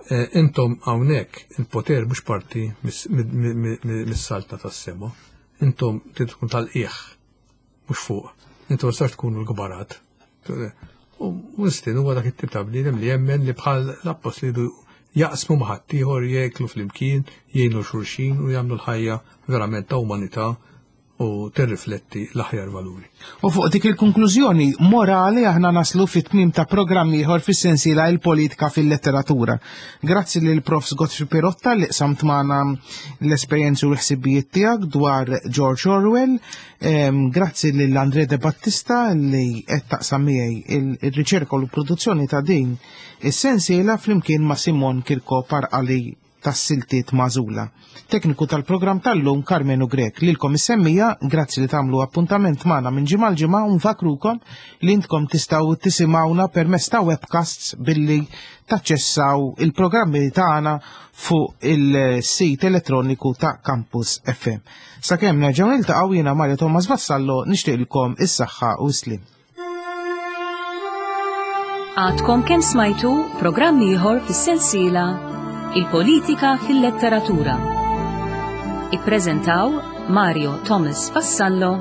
Eh, intom hawnhekk il-poter mhux parti mis-saltna tas-sema. Intom trid tkun tal-qiegħ, mhux fuq. Intom tistax tkunu l-kbarat. U Winston huwa dak it-tip ta' bniedem li jemmen li bħal l-appostli jaqsmu ma' ħaddieħor, jieklu flimkien, jgħinu xulxin u jagħmlu l-ħajja verament ta' umanità u tirrifletti l-aħjar valuri. U fuq dik il-konklużjoni morali aħna naslu fit-tmim ta' programm ieħor fis-sensiela Il-Politika fil-Letteratura. Grazzi lil Profs Godfrey Pirotta li qsamt magħna l-esperjenzi u l-ħsibijiet tiegħek dwar George Orwell. Em, Grazzi lil Andre De Battista li qed taqsam miegħi il-riċerka u l-produzzjoni ta' din is-sensiela flimkien ma' Simon Kirkop għal-qari tas-siltiet magħżula. Tekniku tal-programm tal-lum Carmenu Grek. Lilkom is-semmiegħa, grazzi li tagħmlu appuntament magħna minn ġimgħa l-ġimgħa u nfakrukom li intkom tistgħu tisimgħuna permezz ta' webcasts billi taċċessaw il-programmi tagħna fuq il-sit elettroniku ta' Campus F M. Sakemm nerġgħu niltaqgħu, jiena Mario Thomas Vassallo nixtieqilkom is-saħħa u s-slim. Għadkom kemm smajtu programm ieħor fis-sensiela Il-Politika fil-Letteratura. Ippreżentaw Mario Thomas Vassallo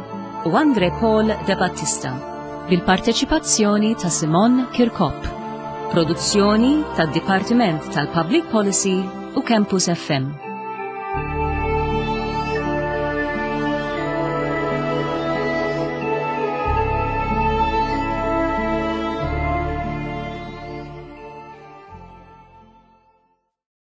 u Andre Paul De Battista bil-parteċipazzjoni ta' Simon Kirkop. Produzzjoni tad-Dipartiment tal-Public Policy u Campus F M.